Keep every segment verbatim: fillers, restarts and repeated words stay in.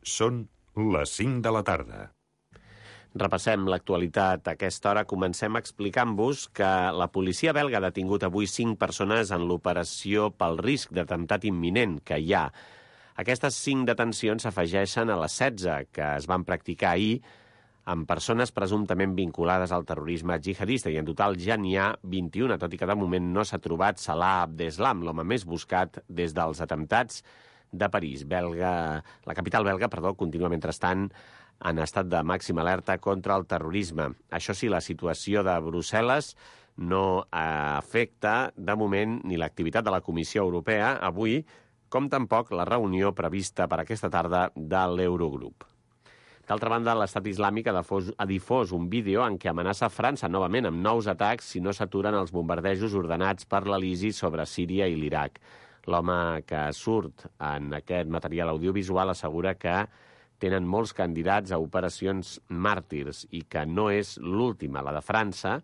Són les cinc de la tarda. Repassem l'actualitat a aquesta hora. Comencem explicant-vos que la policia belga ha detingut avui cinc persones en l'operació pel risc d'atemptat imminent que hi ha. Aquestes cinc detencions s'afegeixen a les setze que es van practicar ahir amb persones presumptament vinculades al terrorisme jihadista, i en total ja n'hi ha vint-i-una, tot i que de moment no s'ha trobat Salah Abdeslam, l'home més buscat des dels atemptats de París. Belga, la capital belga, perdó, continua mentrestant en estat de màxima alerta contra el terrorisme. Això sí, la situació de Brussel·les no afecta de moment ni l'activitat de la Comissió Europea avui, com tampoc la reunió prevista per aquesta tarda de l'Eurogrup. D'altra banda, l'Estat Islàmic ha difós, ha difós un vídeo en què amenaça França novament amb nous atacs si no s'aturen els bombardejos ordenats per l'A L I S I sobre Síria i l'Iraq. L'home que surt en aquest material audiovisual assegura que tenen molts candidats a operacions màrtirs i que no és l'última, la de França,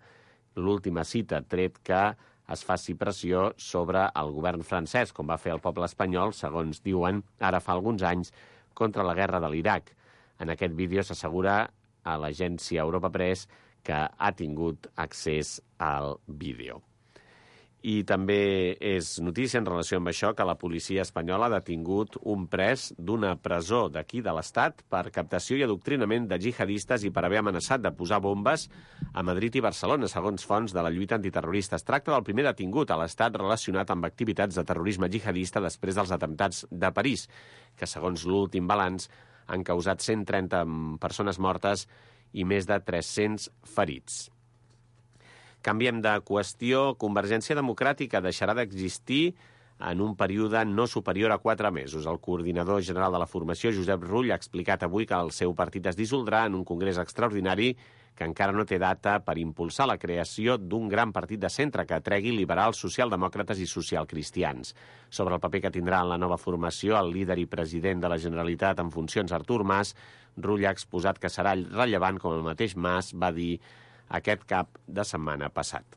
l'última cita, tret que es faci pressió sobre el govern francès, com va fer el poble espanyol, segons diuen, ara fa alguns anys, contra la guerra de l'Iraq. En aquest vídeo s'assegura a l'agència Europa Press que ha tingut accés al vídeo. I també és notícia en relació amb això que la policia espanyola ha detingut un pres d'una presó d'aquí de l'Estat per captació i adoctrinament de jihadistes i per haver amenaçat de posar bombes a Madrid i Barcelona, segons fonts de la lluita antiterrorista. Es tracta del primer detingut a l'Estat relacionat amb activitats de terrorisme jihadista després dels atemptats de París, que segons l'últim balanç han causat cent trenta persones mortes i més de tres-cents ferits. Canviem de qüestió. Convergència Democràtica deixarà d'existir en un període no superior a quatre mesos. El coordinador general de la formació, Josep Rull, ha explicat avui que el seu partit es dissoldrà en un congrés extraordinari que encara no té data per impulsar la creació d'un gran partit de centre que atregui liberals, socialdemòcrates i socialcristians. Sobre el paper que tindrà en la nova formació el líder i president de la Generalitat en funcions, Artur Mas, Rull ha exposat que serà rellevant, com el mateix Mas va dir aquest cap de setmana passat.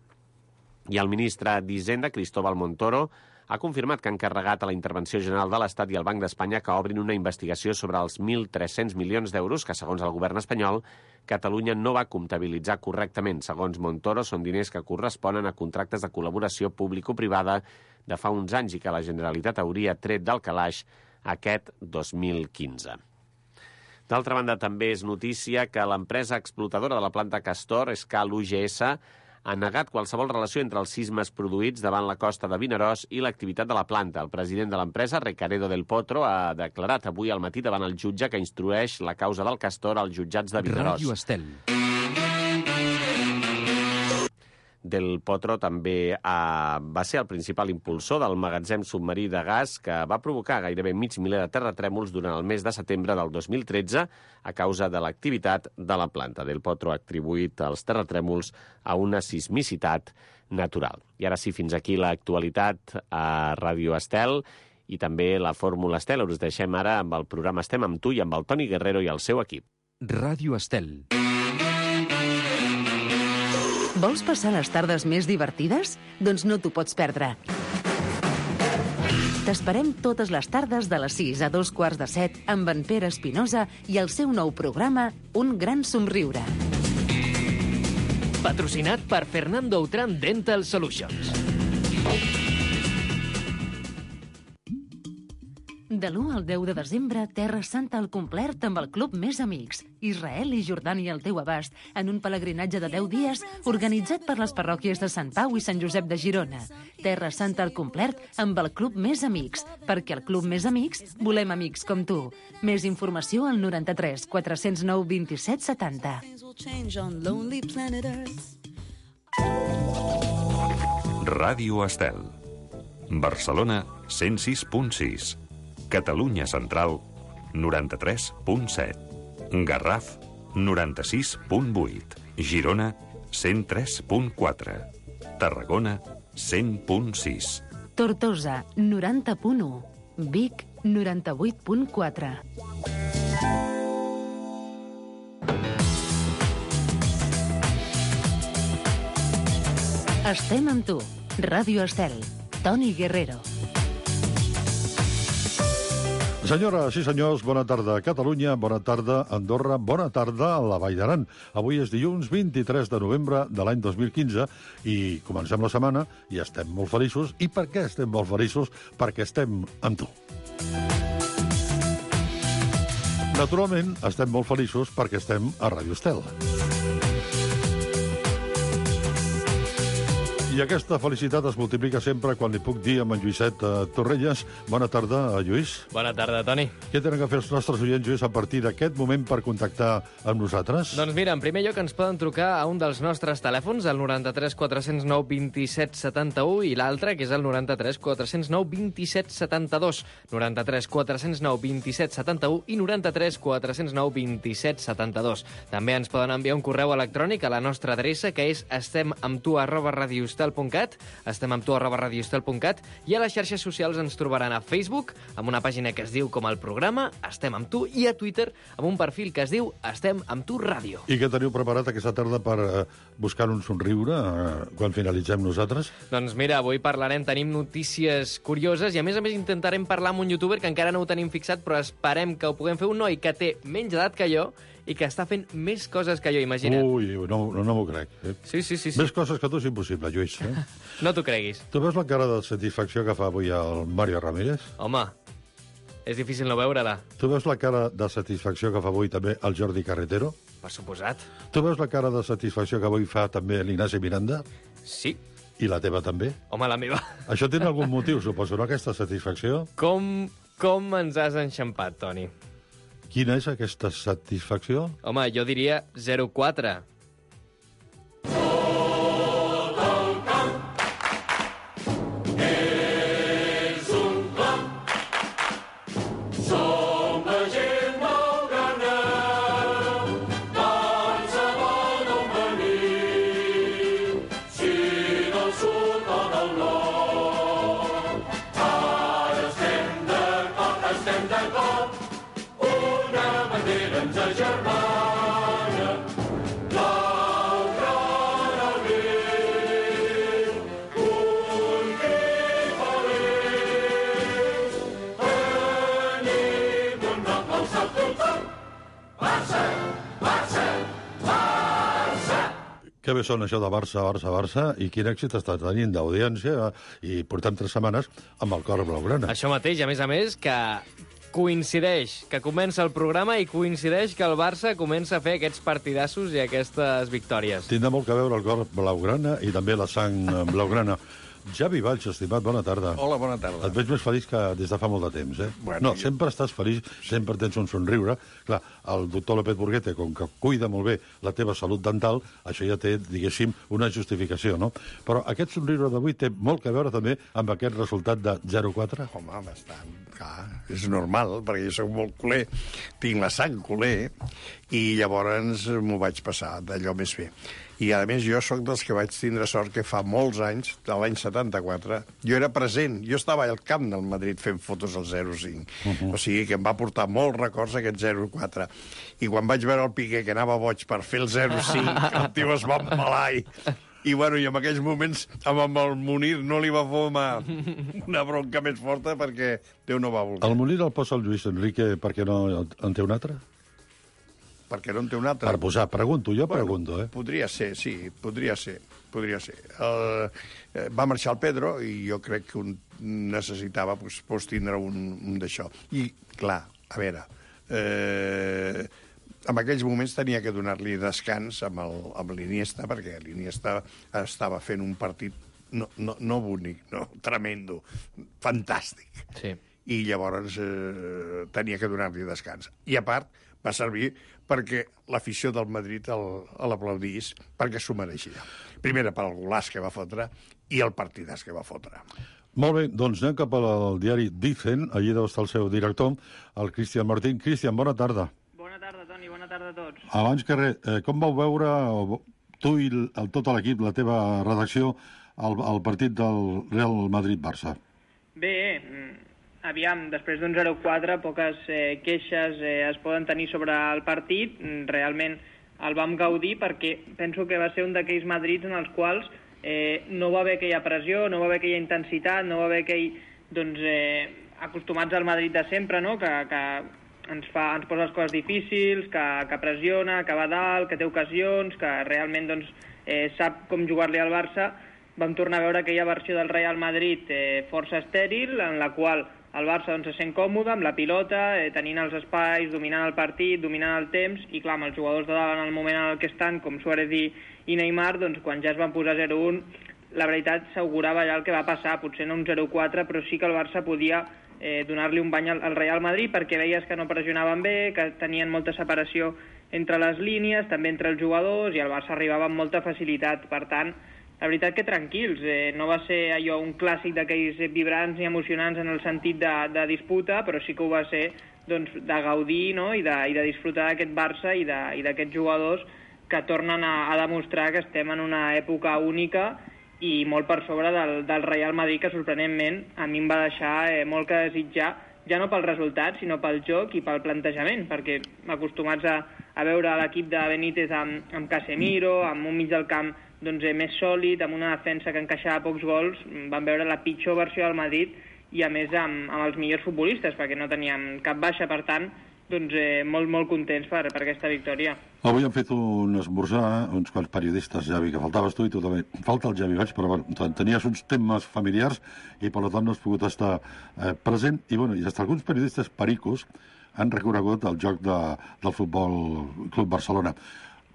I el ministre d'Hisenda, Cristóbal Montoro, ha confirmat que ha encarregat a la Intervenció General de l'Estat i al Banc d'Espanya que obrin una investigació sobre els mil tres-cents milions d'euros que, segons el govern espanyol, Catalunya no va comptabilitzar correctament. Segons Montoro, són diners que corresponen a contractes de col·laboració público-privada de fa uns anys i que la Generalitat hauria tret del calaix aquest dos mil quinze. D'altra banda, també és notícia que l'empresa explotadora de la planta Castor, Escal U G S, ha negat qualsevol relació entre els sismes produïts davant la costa de Vinaròs i l'activitat de la planta. El president de l'empresa, Recaredo del Potro, ha declarat avui al matí davant el jutge que instrueix la causa del Castor als jutjats de Vinaròs. Ràdio Estel. Del Potro també eh, va ser el principal impulsor del magatzem submarí de gas que va provocar gairebé mig miler de terratrèmols durant el mes de setembre del dos mil tretze a causa de l'activitat de la planta. Del Potro ha atribuït els terratrèmols a una sismicitat natural. I ara sí, fins aquí l'actualitat a Ràdio Estel i també la Fórmula Estel. Us deixem ara amb el programa Estem amb tu i amb el Toni Guerrero i el seu equip. Ràdio Estel. Vols passar les tardes més divertides? Doncs no t'ho pots perdre. T'esperem totes les tardes de les sis a dos quarts de set amb en Pere Espinosa i el seu nou programa Un gran somriure. Patrocinat per Fernando Outram Dental Solutions. De l'u al deu de desembre, Terra Santa al complet amb el Club Més Amics. Israel i Jordània al teu abast, en un pelegrinatge de deu dies organitzat per les parròquies de Sant Pau i Sant Josep de Girona. Terra Santa al complet amb el Club Més Amics, perquè al Club Més Amics volem amics com tu. Més informació al noranta-tres quatre zero nou vint-i-set setanta. Ràdio Estel. Barcelona, cent sis punt sis. Catalunya Central, noranta-tres punt set. Garraf, noranta-sis punt vuit. Girona, cent tres punt quatre. Tarragona, cent punt sis. Tortosa, noranta punt u. Vic, noranta-vuit punt quatre. Estem amb tu. Ràdio Estel. Toni Guerrero. Senyores i senyors, bona tarda a Catalunya, bona tarda a Andorra, bona tarda a la Vall d'Aran. Avui és dilluns vint-i-tres de novembre de l'any dos mil quinze i comencem la setmana i estem molt feliços. I per què estem molt feliços? Perquè estem amb tu. Naturalment, estem molt feliços perquè estem a Ràdio Estel. I aquesta felicitat es multiplica sempre quan li puc dir amb en Lluïset uh, Torrelles. Bona tarda, Lluís. Bona tarda, Toni. Què tenen a fer els nostres oients, Lluís, a partir d'aquest moment per contactar amb nosaltres? Doncs mira, en primer lloc ens poden trucar a un dels nostres telèfons, el noranta-tres quatre-cents nou vint-i-set setanta-u, i l'altre, que és el noranta-tres quatre-cents nou vint-i-set setanta-dos. noranta-tres quatre-cents nou vint-i-set setanta-u i noranta-tres quatre-cents nou vint-i-set setanta-dos. També ens poden enviar un correu electrònic a la nostra adreça, que és estemamtu arroba radioestel punt cat, estem amb tu arroba radioestel punt cat, i a les xarxes socials ens trobaran a Facebook, amb una pàgina que es diu com el programa, Estem amb tu, i a Twitter, amb un perfil que es diu Estem amb tu ràdio. I què teniu preparat aquesta tarda per uh, buscar un somriure uh, quan finalitzem nosaltres? Doncs mira, avui parlarem, tenim notícies curioses, i a més a més intentarem parlar amb un youtuber que encara no ho tenim fixat, però esperem que ho puguem fer, un noi que té menys edat que jo, i que està fent més coses que jo, imagina't. Ui, no, no, no m'ho crec. Eh? Sí, sí, sí, sí. Més coses que tu és impossible, Lluís. Eh? No t'ho creguis. Tu veus la cara de satisfacció que fa avui el Mario Ramírez? Home, és difícil no veure-la. Tu veus la cara de satisfacció que fa avui també el Jordi Carretero? Per suposat. Tu veus la cara de satisfacció que avui fa també l'Ignasi Miranda? Sí. I la teva també? Home, la meva. Això té algun motiu, suposo, no, aquesta satisfacció? Com, com ens has enxampat, Toni? Quina és aquesta satisfacció? Home, jo diria zero quatre. Que bé són això de Barça, Barça, Barça, i quin èxit està tenint d'audiència, i portem tres setmanes amb el cor blaugrana. Això mateix, a més a més, que coincideix, que comença el programa i coincideix que el Barça comença a fer aquests partidassos i aquestes victòries. Tindrà molt que veure el cor blaugrana i també la sang blaugrana. Javi Valls, estimat, bona tarda. Hola, bona tarda. Et veig més feliç que des de fa molt de temps, eh? Bueno, no, jo... sempre estàs feliç, sempre tens un somriure. Clar, el doctor López Burguete, com que cuida molt bé la teva salut dental, això ja té, diguéssim, una justificació, no? Però aquest somriure d'avui té molt que veure també amb aquest resultat de zero quatre? Home, bastant, clar, és normal, perquè jo soc molt culer, tinc la sang culer, i llavors m'ho vaig passar d'allò més bé. I, a més, jo sóc dels que vaig tindre sort que fa molts anys, de l'any setanta-quatre, jo era present, jo estava al camp del Madrid fent fotos al zero cinc. Uh -huh. O sigui que em va portar molts records aquest zero quatre. I quan vaig veure el Piqué, que anava boig per fer el zero cinc, el tio es va embalar i... I, bueno, i en aquells moments, amb el Munir no li va formar una bronca més forta perquè Déu no va voler. El Munir el posa el Lluís Enrique perquè no en té un altre? Perquè no en té un altre. Per posar, pregunto, jo bueno, pregunto, eh? Podria ser, sí, podria ser, podria ser. El, eh, va marxar el Pedro i jo crec que un necessitava pues, pues, tindre un, un d'això. I, clar, a veure, eh, en aquells moments tenia que donar-li descans amb, el, amb l'Iniesta, perquè l'Iniesta estava fent un partit no, no, no bonic, no, tremendo, fantàstic. Sí. I llavors eh, tenia que donar-li descans. I a part, va servir perquè l'afició del Madrid l'aplaudís, perquè s'ho mereixia. Primera pel golaç que va fotre i el partidàs que va fotre. Molt bé, doncs anem cap al diari Dicen, allí deu estar el seu director, el Cristian Martín. Cristian, bona tarda. Bona tarda, Toni, bona tarda a tots. Abans que res, eh, com vau veure tu i el, tot l'equip, la teva redacció, el, el partit del Real Madrid-Barça? Bé, aviam, després d'un zero quatre, poques eh, queixes eh, es poden tenir sobre el partit. Realment el vam gaudir perquè penso que va ser un d'aquells Madrids en els quals eh, no va haver aquella pressió, no va haver aquella intensitat, no va haver aquell doncs, eh, acostumats al Madrid de sempre, no? que, que ens, fa, ens posa les coses difícils, que, que pressiona, que va dalt, que té ocasions, que realment doncs, eh, sap com jugar-li al Barça. Vam tornar a veure aquella versió del Real Madrid eh, força estèril, en la qual el Barça doncs, se sent còmode amb la pilota, eh, tenint els espais, dominant el partit, dominant el temps, i clar, amb els jugadors de dalt en el moment en el que estan, com Suárez i, i Neymar, doncs quan ja es van posar zero un, la veritat s'augurava ja el que va passar, potser no un zero quatre, però sí que el Barça podia eh, donar-li un bany al, al Real Madrid, perquè veies que no pressionaven bé, que tenien molta separació entre les línies, també entre els jugadors, i el Barça arribava amb molta facilitat. Per tant, la veritat que tranquils, eh, no va ser allò un clàssic d'aquells vibrants i emocionants en el sentit de, de disputa, però sí que ho va ser doncs, de gaudir, no? I, de, i de disfrutar d'aquest Barça i d'aquests jugadors que tornen a, a demostrar que estem en una època única i molt per sobre del, del Real Madrid, que sorprenentment a mi em va deixar eh, molt que desitjar, ja no pel resultat, sinó pel joc i pel plantejament, perquè acostumats a, a veure l'equip de Benítez amb, amb Casemiro, amb un mig del camp doncs, eh, més sòlid, amb una defensa que encaixava pocs gols, van veure la pitjor versió del Madrid i a més amb, amb els millors futbolistes, perquè no teníem cap baixa, per tant, doncs eh, molt, molt contents per, per aquesta victòria. Avui han fet un esmorzar, uns quants periodistes, Javi, que faltaves tu i tu també. Falta el Javi Baig, però bueno, tenies uns temes familiars i per tant no has pogut estar eh, present. I bueno, i hasta alguns periodistes pericos han reconegut el joc de, del Futbol Club Barcelona.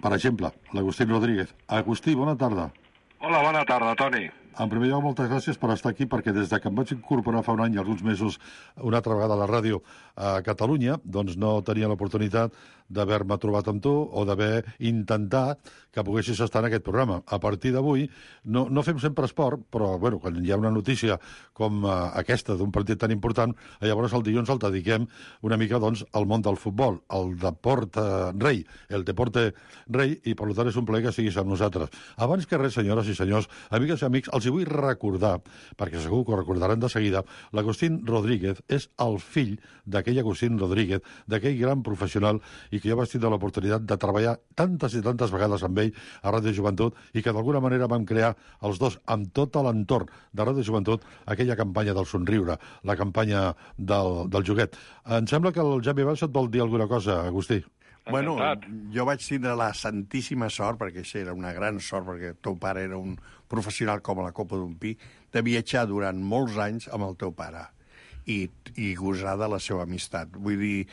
Per exemple, l'Agustí Rodríguez. Agustí, bona tarda. Hola, bona tarda, Toni. En primer lloc, moltes gràcies per estar aquí, perquè des de que em vaig incorporar fa un any i alguns mesos una altra vegada a la ràdio a Catalunya, doncs no tenia l'oportunitat d'haver-me trobat amb tu o d'haver intentat que poguessis estar en aquest programa. A partir d'avui, no, no fem sempre esport, però bueno, quan hi ha una notícia com uh, aquesta d'un partit tan important, llavors el dilluns el dediquem una mica doncs, al món del futbol, al deport uh, rei, el deporte rei, i per tant és un plaer que siguis amb nosaltres. Abans que res, senyores i senyors, amigues i amics, els hi vull recordar, perquè segur que ho recordaran de seguida, l'Agustín Rodríguez és el fill d'aquell Agustín Rodríguez, d'aquell gran professional, i que jo vaig tindre l'oportunitat de treballar tantes i tantes vegades amb ell a Ràdio Joventut, i que d'alguna manera vam crear els dos, amb tot l'entorn de Ràdio Joventut, aquella campanya del somriure, la campanya del, del joguet. Em sembla que el Javi Baix et vol dir alguna cosa, Agustí. Bueno, jo vaig tindre la santíssima sort, perquè això era una gran sort, perquè el teu pare era un professional com a la copa d'un pi, de viatjar durant molts anys amb el teu pare i, i gosar de la seva amistat. Vull dir,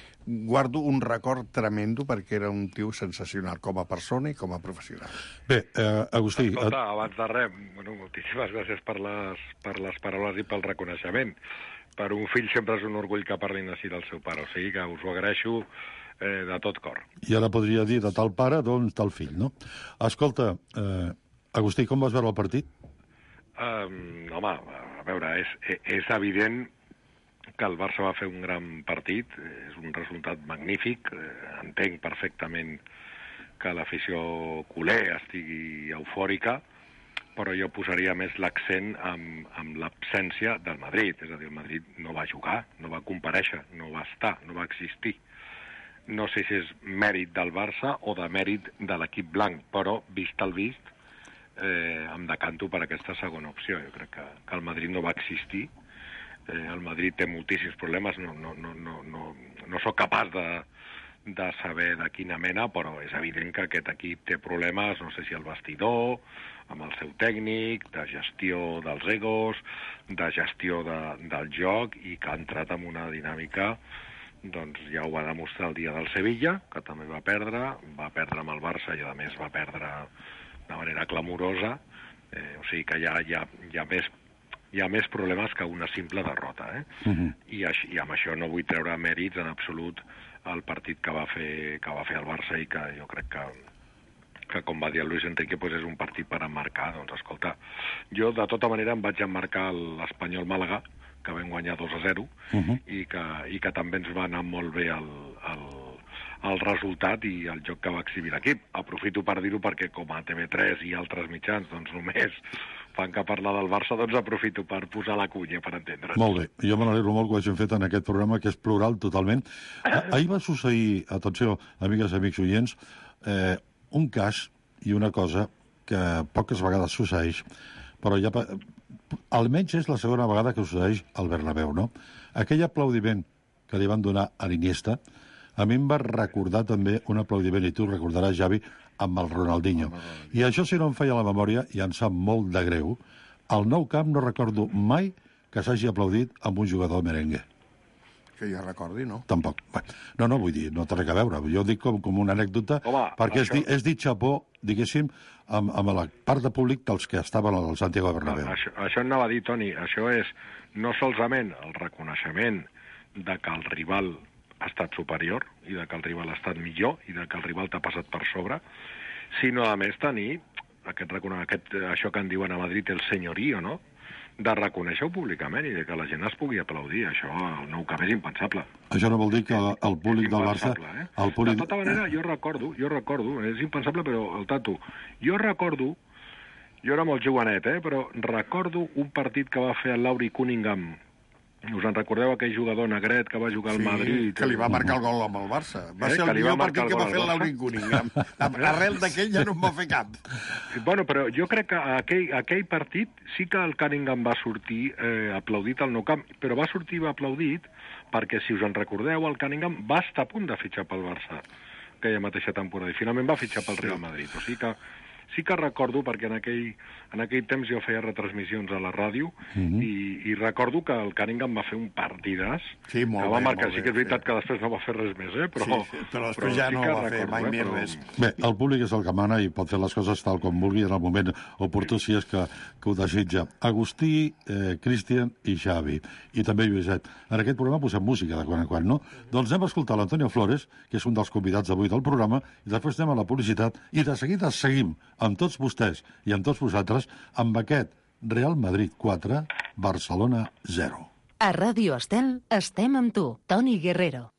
guardo un record tremendo perquè era un tio sensacional com a persona i com a professional. Bé, eh, Agustí... Escolta, abans de res, bueno, moltíssimes gràcies per les, per les paraules i pel reconeixement. Per un fill sempre és un orgull que parlin així del seu pare, o sigui que us ho agraeixo eh, de tot cor. I ara podria dir de tal pare, doncs tal fill, no? Escolta, eh, Agustí, com vas veure el partit? Um, home, a veure, és, és evident que el Barça va fer un gran partit, és un resultat magnífic, entenc perfectament que l'afició culer estigui eufòrica, però jo posaria més l'accent amb, amb l'absència del Madrid, és a dir, el Madrid no va jugar, no va comparèixer, no va estar, no va existir. No sé si és mèrit del Barça o de mèrit de l'equip blanc, però vist el vist, eh, em decanto per aquesta segona opció. Jo crec que, que el Madrid no va existir. Eh, el Madrid té moltíssims problemes, no, no, no, no, no, no sóc capaç de, de saber de quina mena, però és evident que aquest equip té problemes, no sé si al vestidor, amb el seu tècnic, de gestió dels egos, de gestió de, del joc, i que ha entrat en una dinàmica, doncs ja ho va demostrar el dia del Sevilla, que també va perdre, va perdre amb el Barça i a més va perdre de manera clamorosa, eh, o sigui que hi ha, hi ha, hi ha més hi ha més problemes que una simple derrota, eh? Uh-huh. I, així, i amb això no vull treure mèrits en absolut al partit que va fer que va fer el Barça, i que jo crec que, que com va dir el Luis Enrique, pues és un partit per emmarcar. Doncs escolta, jo de tota manera em vaig emmarcar l'Espanyol Màlaga, que vam guanyar dos a zero, uh-huh. i, que, i que també ens va anar molt bé el, el, el resultat i el joc que va exhibir l'equip. Aprofito per dir-ho perquè com a T V tres i altres mitjans doncs només fan que parlar del Barça, doncs aprofito per posar la cunya, per entendre'ns. Molt bé. Jo me n'alegro molt que ho hagin fet en aquest programa, que és plural totalment. Ahir va succeir, atenció, amigues i amics oients, eh, un cas i una cosa que poques vegades succeeix, però ja... Almenys és la segona vegada que succeeix al Bernabéu, no? Aquell aplaudiment que li van donar a l'Iniesta, a mi em va recordar també un aplaudiment, i tu recordaràs, Javi, amb el Ronaldinho. I això, si no em feia la memòria, i em sap molt de greu, al Nou Camp no recordo mai que s'hagi aplaudit amb un jugador merengue. Que jo recordi, no? Tampoc. No, no, vull dir, no té res a veure. Jo dic com, com una anècdota, Home, perquè això... és, és dit xapó, diguéssim, amb, amb la part de públic dels que estaven al Santiago Bernabéu. Això, això anava a dir, Toni, això és no solament el reconeixement de que el rival ha estat superior i de que el rival ha estat millor i de que el rival t'ha passat per sobre, sinó, a més, tenir aquest, aquest, això que en diuen a Madrid el senyorío, no?, de reconèixer-ho públicament i de que la gent es pugui aplaudir. Això al Nou Camp és impensable. Això no vol dir que el públic del Barça... Eh? El públic... De tota manera, jo recordo, jo recordo, és impensable, però el tato, jo recordo, jo era molt jovenet, eh, però recordo un partit que va fer el Laurie Cunningham. Us en recordeu aquell jugador negret que va jugar al sí, Madrid? Que li va marcar el gol amb el Barça. Va eh, ser el millor partit que va fer el Barça. Laurie Cunningham. Arrel d'aquell ja no en va fer cap. Bueno, però jo crec que aquell, aquell partit sí que el Cunningham va sortir eh, aplaudit al Nou Camp, però va sortir aplaudit perquè, si us en recordeu, el Cunningham va estar a punt de fitxar pel Barça aquella mateixa temporada, i finalment va fitxar pel Real Madrid. O sigui que sí que recordo, perquè en aquell, en aquell temps jo feia retransmissions a la ràdio, mm-hmm. i, i recordo que el Cunningham va fer un partidàs, sí, molt que va bé, marcar. molt Sí que és veritat sí. que després no va fer res més, eh? però, sí, sí, però després però ja sí no que va fer recordo, mai eh? més però... res. Bé, el públic és el que mana i pot fer les coses tal com vulgui en el moment oportú, si és que, que ho desitja. Agustí, eh, Cristian i Xavi, i també Lluïset. En aquest programa posem música de quan en quan, no? Doncs anem a escoltar l'Antonio Flores, que és un dels convidats d'avui del programa, i després anem a la publicitat, i de seguida seguim amb tots vostès i amb tots vosaltres amb aquest Real Madrid quatre, Barcelona zero. A Ràdio Estel estem amb tu, Toni Guerrero.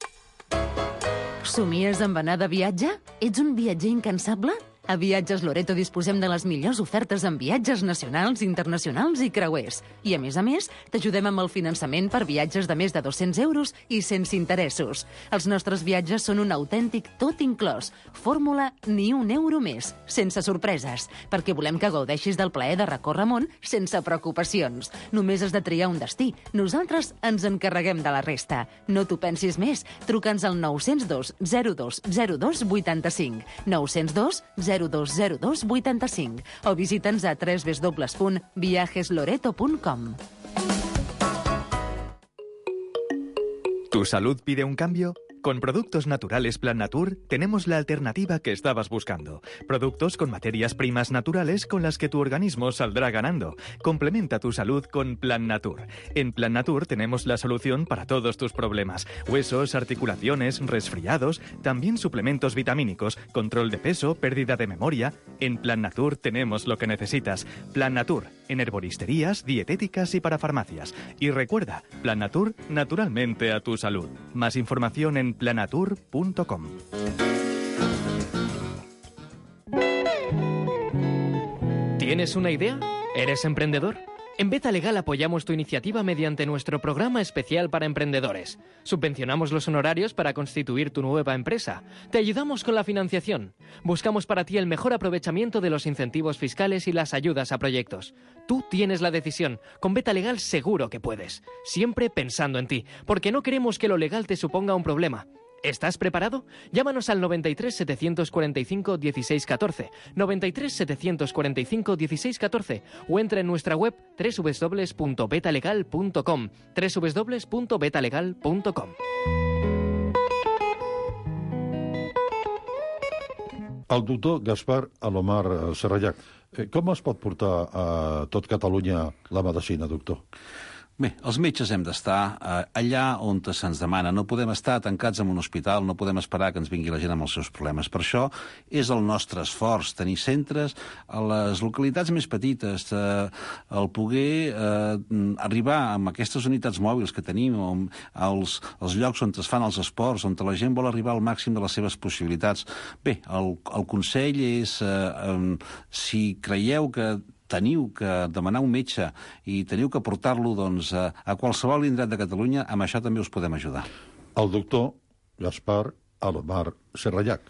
Somies amb anar de viatge? Ets un viatger incansable? A Viatges Loreto disposem de les millors ofertes en viatges nacionals, internacionals i creuers. I, a més a més, t'ajudem amb el finançament per viatges de més de dos-cents euros i sense interessos. Els nostres viatges són un autèntic tot inclòs. Fórmula ni un euro més, sense sorpreses, perquè volem que gaudeixis del plaer de recórrer món sense preocupacions. Només has de triar un destí. Nosaltres ens encarreguem de la resta. No t'ho pensis més. Truca'ns al nou zero dos zero dos zero dos vuitanta-cinc. nou zero dos zero dos zero dos vuitanta-cinc o visita'ns a w w w punt viajes loreto punt com. ¿Tu salud pide un cambio? Con Productos Naturales Plan Natur tenemos la alternativa que estabas buscando. Productos con materias primas naturales con las que tu organismo saldrá ganando. Complementa tu salud con Plan Natur. En Plan Natur tenemos la solución para todos tus problemas. Huesos, articulaciones, resfriados, también suplementos vitamínicos, control de peso, pérdida de memoria. En Plan Natur tenemos lo que necesitas. Plan Natur, en herboristerías, dietéticas y para farmacias. Y recuerda, Plan Natur, naturalmente a tu salud. Más información en planatur punto com. ¿Tienes una idea? ¿Eres emprendedor? En Beta Legal apoyamos tu iniciativa mediante nuestro programa especial para emprendedores. Subvencionamos los honorarios para constituir tu nueva empresa. Te ayudamos con la financiación. Buscamos para ti el mejor aprovechamiento de los incentivos fiscales y las ayudas a proyectos. Tú tienes la decisión. Con Beta Legal seguro que puedes. Siempre pensando en ti, porque no queremos que lo legal te suponga un problema. ¿Estás preparado? Llámanos al noventa y tres, setecientos cuarenta y cinco, dieciséis catorce, noventa y tres, setecientos cuarenta y cinco, dieciséis catorce o entra en nuestra web doble u doble u doble u punto betalegal punto com, doble u doble u doble u punto betalegal punto com. El doctor Gaspar Alomar Serrallac, com es pot portar a tot Catalunya la medicina, doctor? Bé, els metges hem d'estar eh, allà on se'ns demana. No podem estar tancats en un hospital, no podem esperar que ens vingui la gent amb els seus problemes. Per això és el nostre esforç, tenir centres a les localitats més petites, eh, el poder eh, arribar amb aquestes unitats mòbils que tenim, als, als llocs on es fan els esports, on la gent vol arribar al màxim de les seves possibilitats. Bé, el, el consell és, eh, eh, si creieu que teniu que demanar un metge i teniu que portar-lo doncs, a, a qualsevol indret de Catalunya, amb això també us podem ajudar. El doctor Gaspar Alomar Serrallac.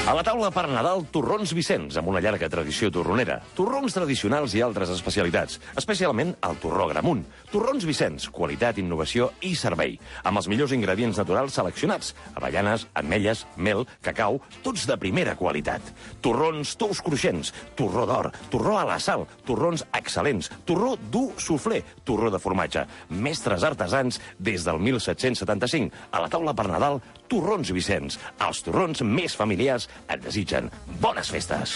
A la taula per Nadal, torrons Vicenç, amb una llarga tradició torronera. Torrons tradicionals i altres especialitats, especialment el torró Gramunt. Torrons Vicenç, qualitat, innovació i servei, amb els millors ingredients naturals seleccionats. Avellanes, ametlles, mel, cacau, tots de primera qualitat. Torrons tous cruixents, torró d'or, torró a la sal, torrons excel·lents, torró dur soufflé, torró de formatge. Mestres artesans des del mil set-cents setanta-cinc. A la taula per Nadal, torrons Vicenç. Els torrons més familiars et desitgen bones festes.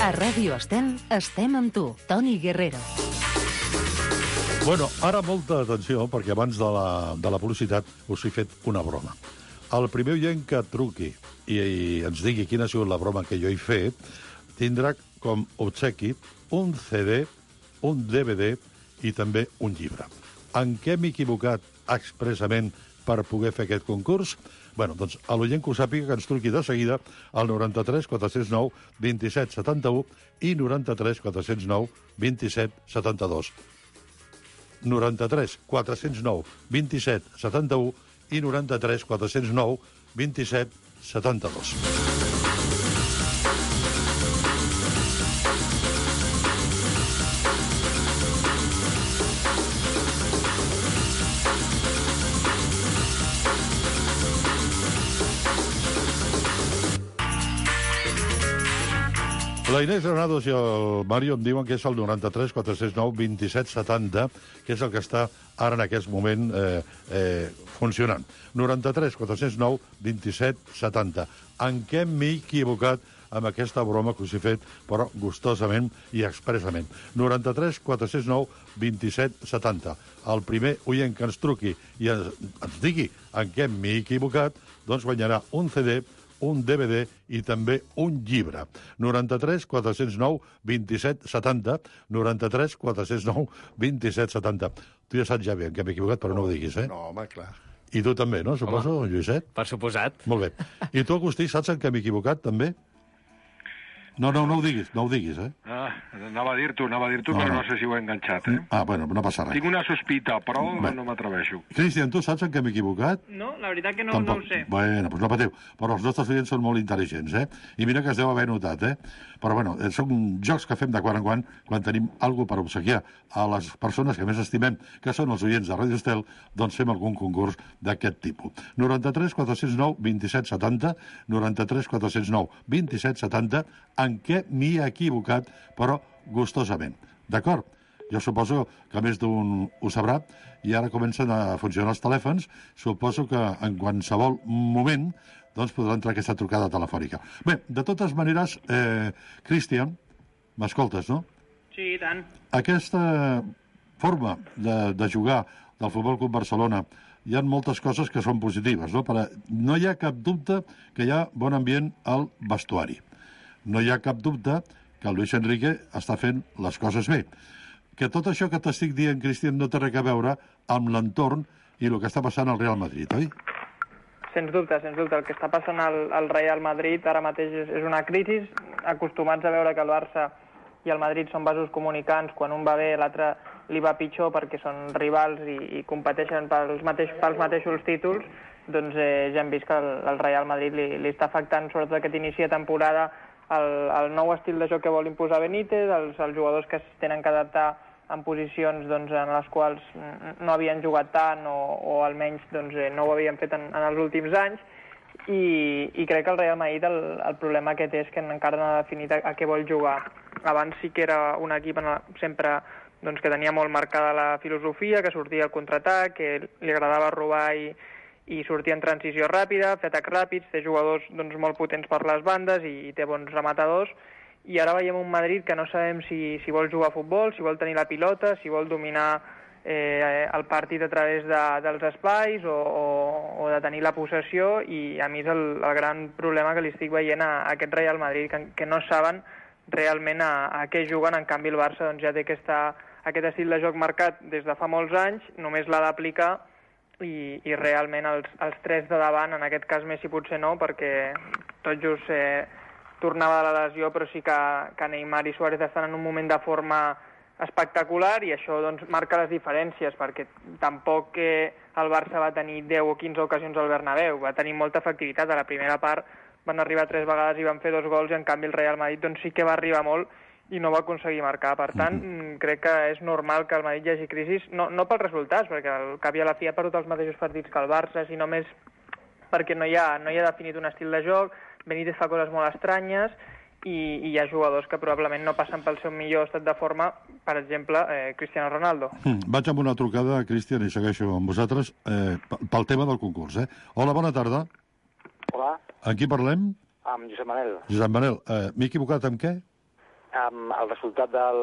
A Ràdio Estel estem amb tu, Toni Guerrero. Bueno, ara molta atenció, perquè abans de la, de la publicitat us he fet una broma. El primer oient que truqui i, i ens digui quina ha sigut la broma que jo he fet, tindrà com obsequi un C D, un D V D i també un llibre. En què m'he equivocat expressament per poder fer aquest concurs? Bueno, doncs, a l'oient que ho sàpiga, que ens truqui de seguida al noranta-tres quatre-cents nou vint-i-set setanta-u i noranta-tres quatre-cents nou vint-i-set setanta-dos. noranta-tres quatre-cents nou vint-i-set setanta-u i noranta-tres quatre-cents nou vint-i-set setanta-dos. La Inés Granados i el Mario em diuen que és el noranta-tres quatre-cents nou vint-i-set setanta, que és el que està ara en aquest moment eh, eh, funcionant. noranta-tres quatre-cents nou vint-i-set setanta. En què m'he equivocat amb aquesta broma que us he fet, però gustosament i expressament? noranta-tres quatre-cents nou vint-i-set setanta. El primer oient que ens truqui i ens, ens digui en què m'he equivocat, doncs guanyarà un C D, un D V D i també un llibre. noranta-tres quatre-cents nou vint-i-set setanta, noranta-tres quatre-cents nou vint-i-set setanta. Tu ja saps ja bé en què m'he equivocat, però no ho diguis, eh? No, home, clar. I tu també, no? Suposo, home, Lluïset? Per suposat. Molt bé. I tu, Agustí, saps en què m'he equivocat, també? No, no, no ho diguis, no ho diguis, eh? Ah, anava a dir-t'ho, anava a dir-t'ho, No, però no. no sé si ho he enganxat, eh? Ah, bueno, no passa res. Tinc una sospita, però Bé. no m'atreveixo. Cristian, tu saps en què m'he equivocat? No, la veritat que no, no ho sé. Bueno, doncs no patiu. Però els nostres oients són molt intel·ligents, eh? I mira que es deu haver notat, eh? Però, bueno, eh, són jocs que fem de quan en quan, quan tenim alguna per obsequiar a les persones que més estimem, que són els oients de Ràdio Estel, doncs fem algun concurs d'aquest tipus. noranta-tres quatre-cents nou vint-i-set setanta, noranta-tres quatre-cents nou vint-i-set setanta, en què m'hi he equivocat, però gustosament. D'acord? Jo suposo que més d'un ho sabrà, i ara comencen a funcionar els telèfons. Suposo que en qualsevol moment doncs podrà entrar aquesta trucada telefònica. Bé, de totes maneres, eh, Cristian, m'escoltes, no? Sí, i tant. Aquesta forma de, de jugar del Futbol Club Barcelona, hi ha moltes coses que són positives, no? Per, no hi ha cap dubte que hi ha bon ambient al vestuari. No hi ha cap dubte que el Luis Enrique està fent les coses bé. Que tot això que t'estic dient, Cristian, no té res a veure amb l'entorn i el que està passant al Real Madrid, oi? Sens dubte, sens dubte. El que està passant al, al Real Madrid ara mateix és, és una crisi. Acostumats a veure que el Barça i el Madrid són vasos comunicants. Quan un va bé, l'altre li va pitjor perquè són rivals i, i competeixen pels, mateix, pels mateixos títols. Doncs eh, ja hem vist que el, el Real Madrid li, li està afectant, sobretot aquest inici de temporada, el, el nou estil de joc que vol imposar Benítez, els, els jugadors que es tenen que adaptar en posicions doncs, en les quals no havien jugat tant o, o almenys doncs, eh, no ho havien fet en, en els últims anys, i, i crec que el Real Madrid el, el problema que té és que encara no ha definit a, a què vol jugar. Abans sí que era un equip en la, sempre doncs, que tenia molt marcada la filosofia, que sortia al contraatac, que li agradava robar i, i sortir en transició ràpida, fer atacs ràpids, té jugadors doncs, molt potents per les bandes i, i té bons rematadors. I ara veiem un Madrid que no sabem si, si vol jugar a futbol, si vol tenir la pilota, si vol dominar eh, el partit a través de, dels espais o, o, o de tenir la possessió, i a mi és el, el gran problema que li estic veient a, a aquest Real Madrid, que, que no saben realment a, a què juguen. En canvi el Barça doncs, ja té aquesta, aquest estil de joc marcat des de fa molts anys, només l'ha d'aplicar, i, i realment els, els tres de davant, en aquest cas Messi potser no, perquè tot just eh, tornava de la lesió, però sí que, que Neymar i Suárez estan en un moment de forma espectacular, i això doncs, marca les diferències, perquè tampoc eh, el Barça va tenir deu o quinze ocasions al Bernabéu, va tenir molta efectivitat. A la primera part van arribar tres vegades i van fer dos gols, i en canvi el Real Madrid doncs, sí que va arribar molt i no va aconseguir marcar. Per tant, mm-hmm. crec que és normal que el Madrid hi hagi crisi, no, no pels resultats, perquè al cap i a la fi ha perdut els mateixos partits que el Barça, sinó més perquè no hi ha, no hi ha definit un estil de joc, Benítez fa coses molt estranyes, i, i hi ha jugadors que probablement no passen pel seu millor estat de forma, per exemple, eh, Cristiano Ronaldo. Mm, vaig amb una trucada, Cristian, i segueixo amb vosaltres, eh, pel tema del concurs. Eh? Hola, bona tarda. Hola. Amb qui parlem? Amb Josep Manel. Josep Manel, eh, m'he equivocat amb què? Amb el resultat del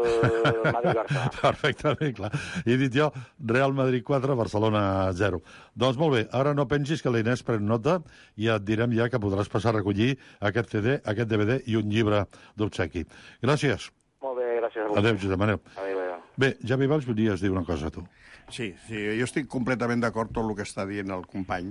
Madrid-Barça. Perfectament, clar. He dit jo Real Madrid quatre, Barcelona zero. Doncs molt bé, ara no pensis que la Inés pren nota i et direm ja que podràs passar a recollir aquest C D, aquest D V D i un llibre d'obsequi. Gràcies. Molt bé, gràcies a vosaltres. Adéu, Josep Manel. Adéu, adéu. Bé, Javi Valls, volies dir una cosa, tu. Sí, sí, jo estic completament d'acord amb tot el que està dient el company,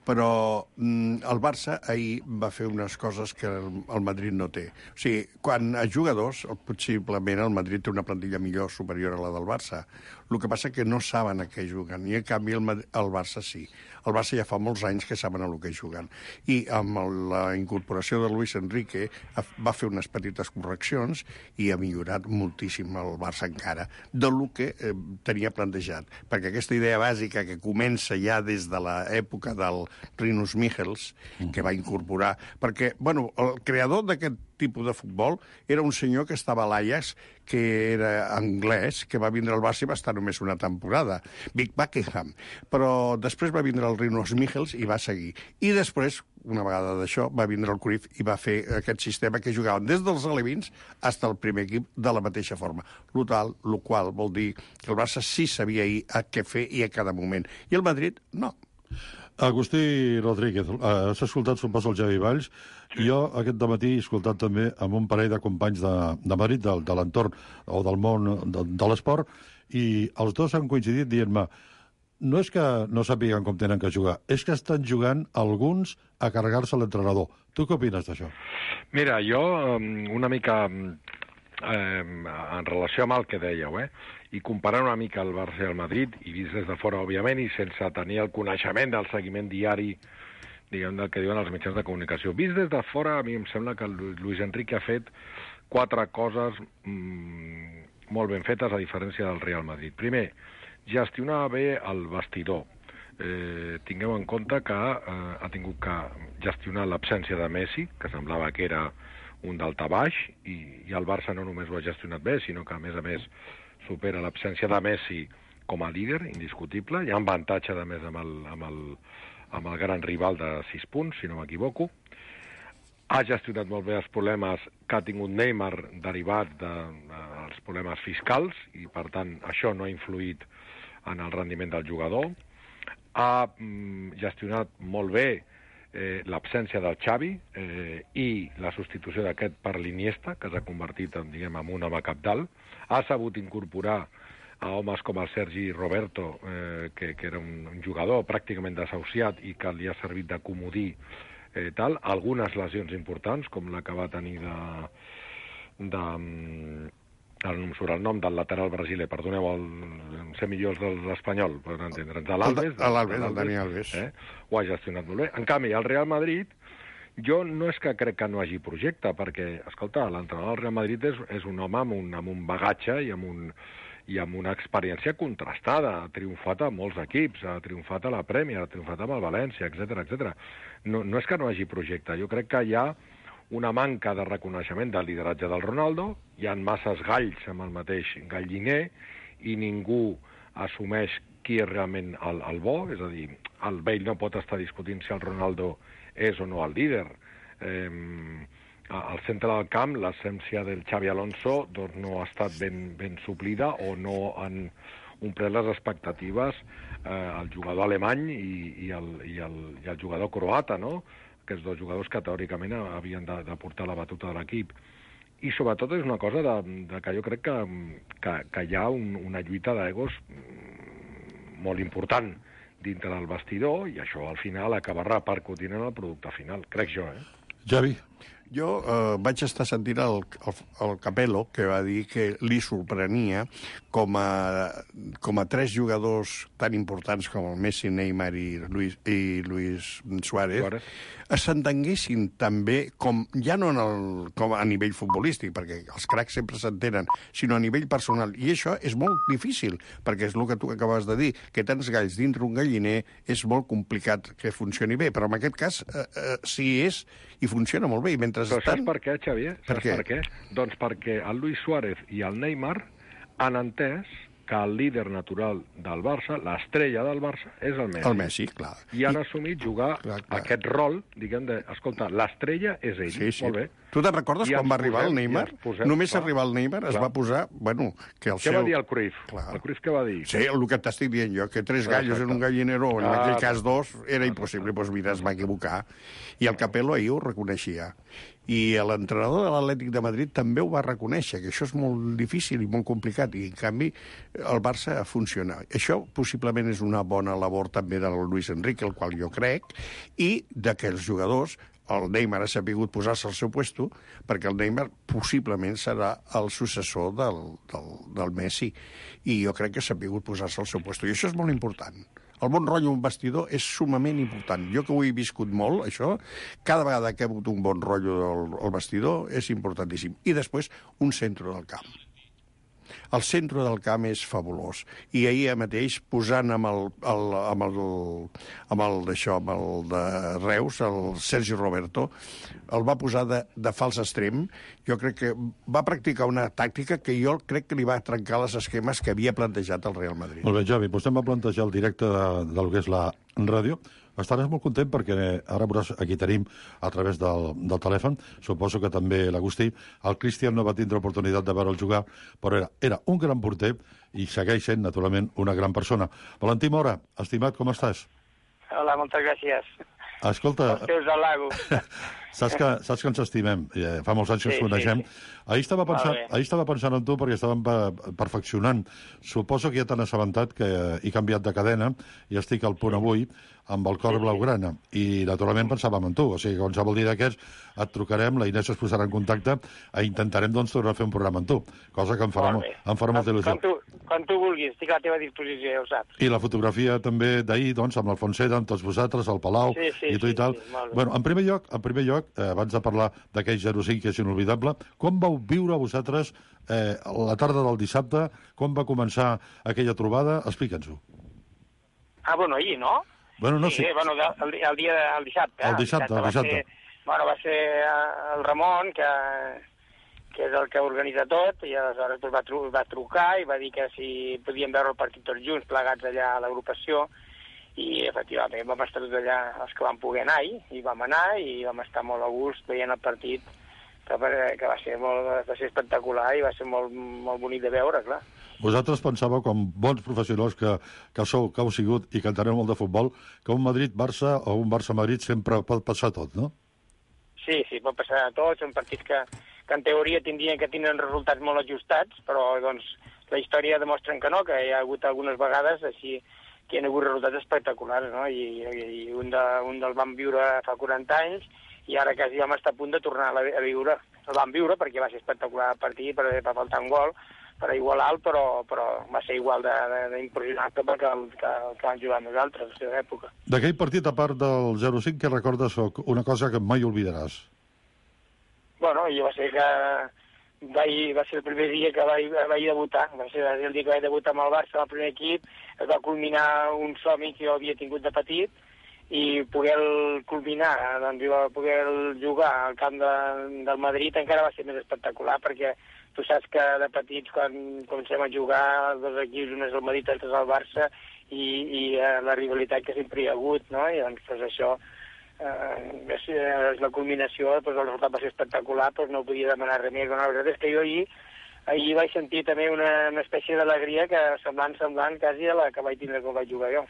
però mm, el Barça ahir va fer unes coses que el, el Madrid no té. O sigui, quan a jugadors, possiblement el Madrid té una plantilla millor, superior a la del Barça. El que passa que no saben a què juguen, i en canvi el, el Barça sí. El Barça ja fa molts anys que saben a què juguen. I amb la incorporació de Luis Enrique va fer unes petites correccions i ha millorat moltíssim el Barça encara del que eh, tenia plantejat. Perquè aquesta idea bàsica que comença ja des de l'època del Rinus Michels, que va incorporar... Perquè, bueno, el creador d'aquest tipus de futbol era un senyor que estava a l'Ajax, que era anglès, que va vindre al Barça i va estar només una temporada, Vic Buckingham. Però després va vindre el Rinus Michels i va seguir. I després, una vegada d'això, va vindre el Cruyff i va fer aquest sistema que jugaven des dels alevins fins al primer equip de la mateixa forma. Lo tal, lo qual vol dir que el Barça sí sabia a què fer i a cada moment. I el Madrid, no. Agustí Rodríguez, has escoltat, suposo, el Javi Valls, i jo aquest dematí he escoltat també amb un parell de companys de, de Madrid, de, de l'entorn o del món de, de l'esport, i els dos han coincidit dient-me no és que no sàpiguen com tenen que jugar, és que estan jugant alguns a carregar-se l'entrenador. Tu què opines d'això? Mira, jo una mica eh, en relació amb el que dèieu, eh? i comparant una mica el Barça i el Madrid, i vist des de fora, òbviament, i sense tenir el coneixement del seguiment diari, diguem, del que diuen els mitjans de comunicació. Vist des de fora, a mi em sembla que el Luis Enrique ha fet quatre coses mmm, molt ben fetes, a diferència del Real Madrid. Primer, gestionar bé el vestidor. Eh, tingueu en compte que eh, ha tingut que gestionar l'absència de Messi, que semblava que era un daltabaix, i, i el Barça no només ho ha gestionat bé, sinó que, a més a més, supera l'absència de Messi com a líder, indiscutible. Hi ha un avantatge, a més, amb el, amb, el, amb el gran rival de sis punts, si no m'equivoco. Ha gestionat molt bé els problemes que ha tingut Neymar derivats dels de, problemes fiscals, i, per tant, això no ha influït en el rendiment del jugador. Ha mm, gestionat molt bé eh, l'absència del Xavi eh, i la substitució d'aquest per l'Iniesta, que s'ha convertit en, diguem, en un home capdalt. Ha sabut incorporar a homes com el Sergi Roberto, eh, que, que era un, un jugador pràcticament desahuciat i que li ha servit de comodí, eh, tal. Algunes lesions importants, com la que va tenir de... de ara no em surt el nom del lateral brasiler, perdoneu, el, el ser millors de l'Espanyol, per entendre'ns, de l'Alves. L'Alves, el Dani Alves. Eh? Ho ha gestionat molt bé. En canvi, el Real Madrid, jo no és que crec que no hagi projecte, perquè, escolta, l'entrenador del Real Madrid és, és un home amb un, amb un bagatge i amb, un, i amb una experiència contrastada. Ha triomfat a molts equips, ha triomfat a la Premier, ha triomfat amb el València, etcètera, etcètera. No, no és que no hagi projecte, jo crec que hi ha una manca de reconeixement del lideratge del Ronaldo, hi ha masses galls amb el mateix galliner i ningú assumeix qui és realment el, el bo, és a dir, el Bale no pot estar discutint si el Ronaldo és o no el líder. Eh, al centre del camp, l'essència del Xavi Alonso doncs, no ha estat ben, ben suplida o no han omplert les expectatives eh, el jugador alemany i, i, el, i, el, i el jugador croata, no?, aquests dos jugadors que teòricament havien de, de portar la batuta de l'equip. I sobretot és una cosa de, de que jo crec que, que, que hi ha un, una lluita d'egos molt important dintre del vestidor, i això al final acabarà repercutint en el producte final, crec jo, eh? Javi? Jo eh, vaig estar sentint el, el, el Capello, que va dir que li sorprenia com a, com a tres jugadors tan importants com el Messi, Neymar i Luis, i Luis Suárez, Suárez. s'entenguessin també, com, ja no en el, com a nivell futbolístic, perquè els cracs sempre s'entenen, sinó a nivell personal. I això és molt difícil, perquè és el que tu acabes de dir, que tants galls dintre un galliner és molt complicat que funcioni bé, però en aquest cas eh, eh, sí és i funciona molt bé. I mentre però estan... saps per què, Xavier? Per saps què? per què? Doncs perquè el Luis Suárez i el Neymar han entès que el líder natural del Barça, l'estrella del Barça, és el Messi. El Messi, clar. I han I... assumit jugar clar, clar. aquest rol, diguem, de, escolta, l'estrella és ell, sí, sí. molt bé. Tu te'n recordes I quan va arribar posem, el Neymar? Posem, Només clar, arribar el Neymar clar. es va posar, bueno, que el què seu... Què va dir el Cruyff? Clar. El Cruyff què va dir? Sí, el que t'estic dient jo, que tres gallos Exacte. en un gallinero, en ah, aquell cas dos, era impossible. Doncs mira, es va equivocar. I el Capello ahir ho reconeixia. I l'entrenador de l'Atlètic de Madrid també ho va reconèixer, que això és molt difícil i molt complicat, i en canvi el Barça funciona. Això possiblement és una bona labor també del Luis Enrique, el qual jo crec, i d'aquells jugadors, el Neymar ha sabut posar-se al seu puesto, perquè el Neymar possiblement serà el successor del, del, del Messi, i jo crec que ha sabut posar-se al seu puesto, i això és molt important. El bon rotllo un vestidor és sumament important. Jo que ho he viscut molt, això, cada vegada que he hagut un bon rotllo al, al vestidor és importantíssim. I després, un centre del camp. El centre del camp és fabulós. I ahir mateix, posant amb el, el, amb el, amb el d'això, amb el de Reus, el Sergi Roberto, el va posar de, de fals extrem. Jo crec que va practicar una tàctica que jo crec que li va trencar les esquemes que havia plantejat el Real Madrid. Molt bé, Javi, vostè em va plantejar el directe de, del que és la ràdio. Estaràs molt content perquè ara veuràs, aquí tenim a través del, del telèfon, suposo que també l'Agustí, el Cristian no va tindre oportunitat de veure'l jugar, però era, era un gran porter i segueix sent, naturalment, una gran persona. Valentí Mora, estimat, com estàs? Hola, moltes gràcies. Escolta... Els teus halagos. Saps que, saps que ens estimem, fa molts anys que sí, ens coneixem. Sí, sí. Ahir, estava pensant, ahir estava pensant en tu perquè estàvem perfeccionant. Suposo que ja t'han assabentat que he canviat de cadena i estic al punt avui amb el cor sí, blaugrana. I, naturalment, pensàvem en tu. O sigui, qualsevol dia d'aquests et trucarem, la Inés es posarà en contacte i intentarem, doncs, tornar a fer un programa amb tu. Cosa que em farà, molt em farà molta il·lusió. Quan tu, quan tu vulguis, estic a la teva disposició, ja ho saps. I la fotografia també d'ahir, doncs, amb l'Alfonseda, amb tots vosaltres, al Palau, sí, sí, i tu sí, i tal. Sí, bueno, en primer lloc, en primer lloc eh, abans de parlar d'aquell zero cinc que és inolvidable, com vau viure vosaltres eh, la tarda del dissabte? Com va començar aquella trobada? Explica'ns-ho. Ah, bueno, ahir, no? Bueno, no sí, sé. Sí, bueno, el, el dia del dissabte. El dissabte, el dissabte. Va ser, bueno, va ser el Ramon, que, que és el que organitza tot, i aleshores va, tru va trucar i va dir que si podíem veure el partit tots junts, plegats allà a l'agrupació, i efectivament vam estar tots allà els que vam poder anar ahir, i vam anar i vam estar molt a gust veient el partit, que, que va, ser molt, va ser espectacular i va ser molt, molt bonic de veure, clar. Vosaltres pensàveu, com bons professionals que, que sou, que heu sigut i que enteneu molt de futbol, que un Madrid-Barça o un Barça-Madrid sempre pot passar tot, no? Sí, sí, pot passar tot. Són partits que, que en teoria tindrien que tindre resultats molt ajustats, però doncs, la història demostren que no, que hi ha hagut algunes vegades així que hi ha hagut resultats espectaculars, no? I, i un, de, un del vam viure fa quaranta anys i ara quasi vam estar a punt de tornar a, a viure. El vam viure perquè va ser espectacular el partit, per, per faltar un gol, per igualar-lo, però, però va ser igual d'impressionant que, que, que, que van jugar nosaltres a la seva època. D'aquell partit, a part del zero cinc, què recordes una cosa que mai oblidaràs? Bueno, jo va ser que vaig, va ser el primer dia que vaig, vaig debutar, va ser el dia que vaig debutar amb el Barça, el primer equip, es va culminar un somni que jo havia tingut de petit, i poder culminar, doncs, poder jugar al camp de, del Madrid encara va ser més espectacular, perquè tu saps que de petits, quan comencem a jugar, els dos equips, un és el Madrid, l'altre és el Barça, i, i eh, la rivalitat que sempre hi ha hagut, no? I doncs, pues, això eh, és, és la culminació, pues, el resultat va ser espectacular, pues, no podia demanar res més. Bueno, la veritat és que jo ahir, ahir vaig sentir també una, una espècie d'alegria que semblant, semblant quasi a la que vaig tindre quan vaig jugar jo.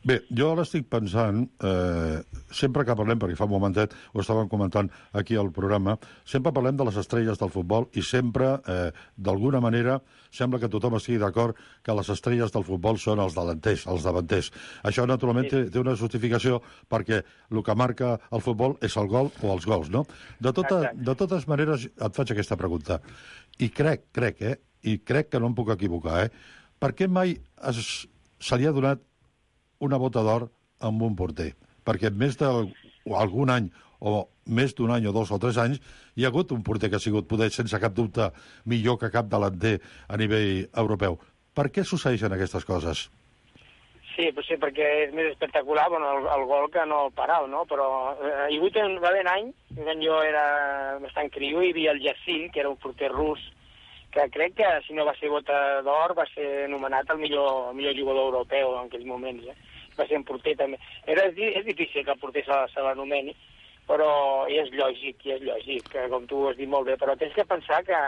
Bé, jo ara estic pensant, eh, sempre que parlem, perquè fa un momentet ho estàvem comentant aquí al programa, sempre parlem de les estrelles del futbol i sempre, eh, d'alguna manera, sembla que tothom estigui d'acord que les estrelles del futbol són els delanters, els davanters. Això, naturalment, té, té una justificació perquè el que marca el futbol és el gol o els gols, no? De, tota, de totes maneres, et faig aquesta pregunta. I crec, crec, eh? I crec que no em puc equivocar, eh? Per què mai es, se li ha donat una bota d'or amb un porter? Perquè més d'algun any, o més d'un any, o dos o tres anys, hi ha hagut un porter que ha sigut, poder, sense cap dubte, millor que cap delanter a nivell europeu. Per què succeeixen aquestes coses? Sí, potser perquè és més espectacular bueno, el, el gol que no el paral, no? Però eh, hi hagut un, va haver un any, quan jo era bastant criu, hi havia el Yassin, que era un porter rus, que crec que, si no va ser bota d'or, va ser anomenat el millor, el millor jugador europeu en aquells moments. Eh? Va ser un porter també. Era, és difícil que el porter se, se l'anomeni, però és lògic, i és lògic, que, com tu has dit molt bé. Però tens que pensar que,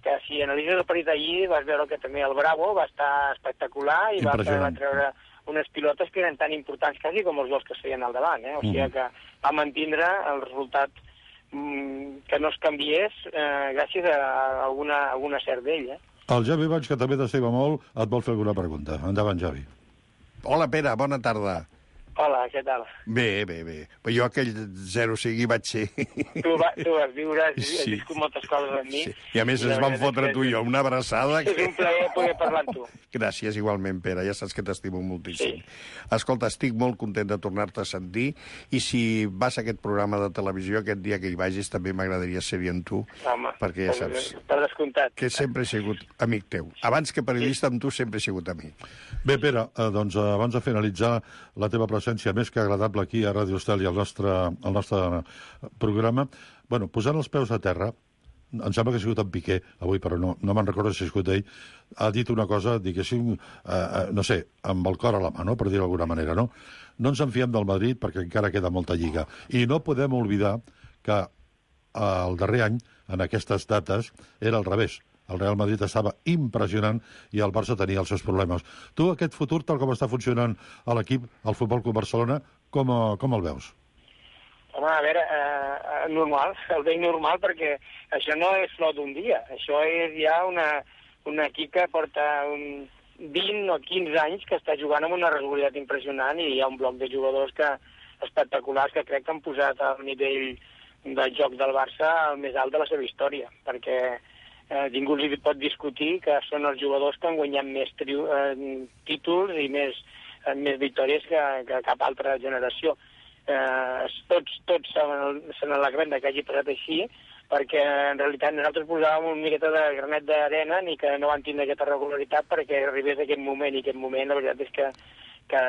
que si analitzes el partit allí, vas veure que també el Bravo va estar espectacular i va, va treure unes pilotes que eren tan importants quasi com els gols que es feien al davant. Eh? O sigui que va mantindre el resultat que no es canviés eh, gràcies a alguna, alguna cert d'ell. Eh? El Javi Baig, que també t'estima molt, et vol fer alguna pregunta. Endavant, Javi. Hola, Pere, bona tarda. Hola, què tal? Bé, bé, bé. Però jo aquell zero cinc hi vaig ser. Tu, va, tu vas viure, has, sí. has viscut moltes coses amb mi. Sí. I a més I ens vam fotre tu i jo una abraçada. És un plaer poder parlar amb tu. Gràcies, igualment, Pere. Ja saps que t'estimo moltíssim. Sí. Escolta, estic molt content de tornar-te a sentir i si vas a aquest programa de televisió, aquest dia que hi vagis, també m'agradaria ser-hi amb tu. Home, perquè ja saps per descomptat. Que sempre he sigut amic teu. Abans que periodista, amb tu sempre he sigut amic. Bé, Pere, eh, doncs abans de finalitzar la teva presència més que agradable aquí a Ràdio Estel i al nostre, al nostre programa, bueno, posant els peus a terra, em sembla que ha sigut en Piqué avui, però no, no me'n recordo si ha sigut ell, ha dit una cosa, diguéssim, eh, no sé, amb el cor a la mà, no? Per dir d'alguna manera, no? No ens en fiem del Madrid perquè encara queda molta lliga. I no podem oblidar que el darrer any, en aquestes dates, era al revés. El Real Madrid estava impressionant i el Barça tenia els seus problemes. Tu, aquest futur, tal com està funcionant a l'equip, al Futbol Club Barcelona, com, com el veus? Home, a veure, eh, normal, el veig normal perquè això no és flor d'un dia. Això és ja una, un equip que porta un vint o quinze anys que està jugant amb una regularitat impressionant i hi ha un bloc de jugadors que espectaculars que crec que han posat el nivell del joc del Barça al més alt de la seva història, perquè Eh, ningú li pot discutir que són els jugadors que han guanyat més triu, eh, títols i més, eh, més victòries que, que cap altra generació. Eh, tots tots se n'alegrem que hagi passat així, perquè en realitat nosaltres posàvem una miqueta de granet d'arena ni que no van tindre aquesta regularitat perquè arribés aquest moment, i aquest moment la veritat és que que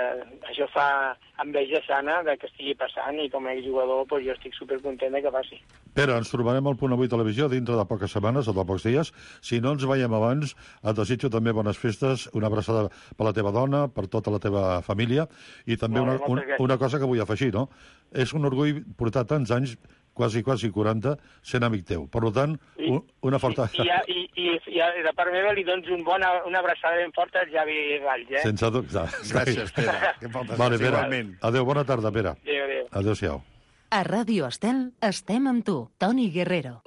això fa enveja sana de que estigui passant i com a jugador doncs, jo estic supercontent que passi. Pere, ens trobarem al Punt Avui Televisió dintre de poques setmanes o de pocs dies. Si no ens veiem abans, et desitjo també bones festes, una abraçada per la teva dona, per tota la teva família, i també una, una, una cosa que vull afegir, no? És un orgull portar tants anys, quasi, quasi quaranta, sent amic teu. Per tant, un, una forta... I, i, i, i, i de part meva li dones un bona, una abraçada ben forta al Javi Valls, eh? Sense dubte. Gràcies, Pere. Vale, Pere. Adéu, bona tarda, Pere. Adéu, adéu. Adéu-siau. A Ràdio Estel estem amb tu, Toni Guerrero.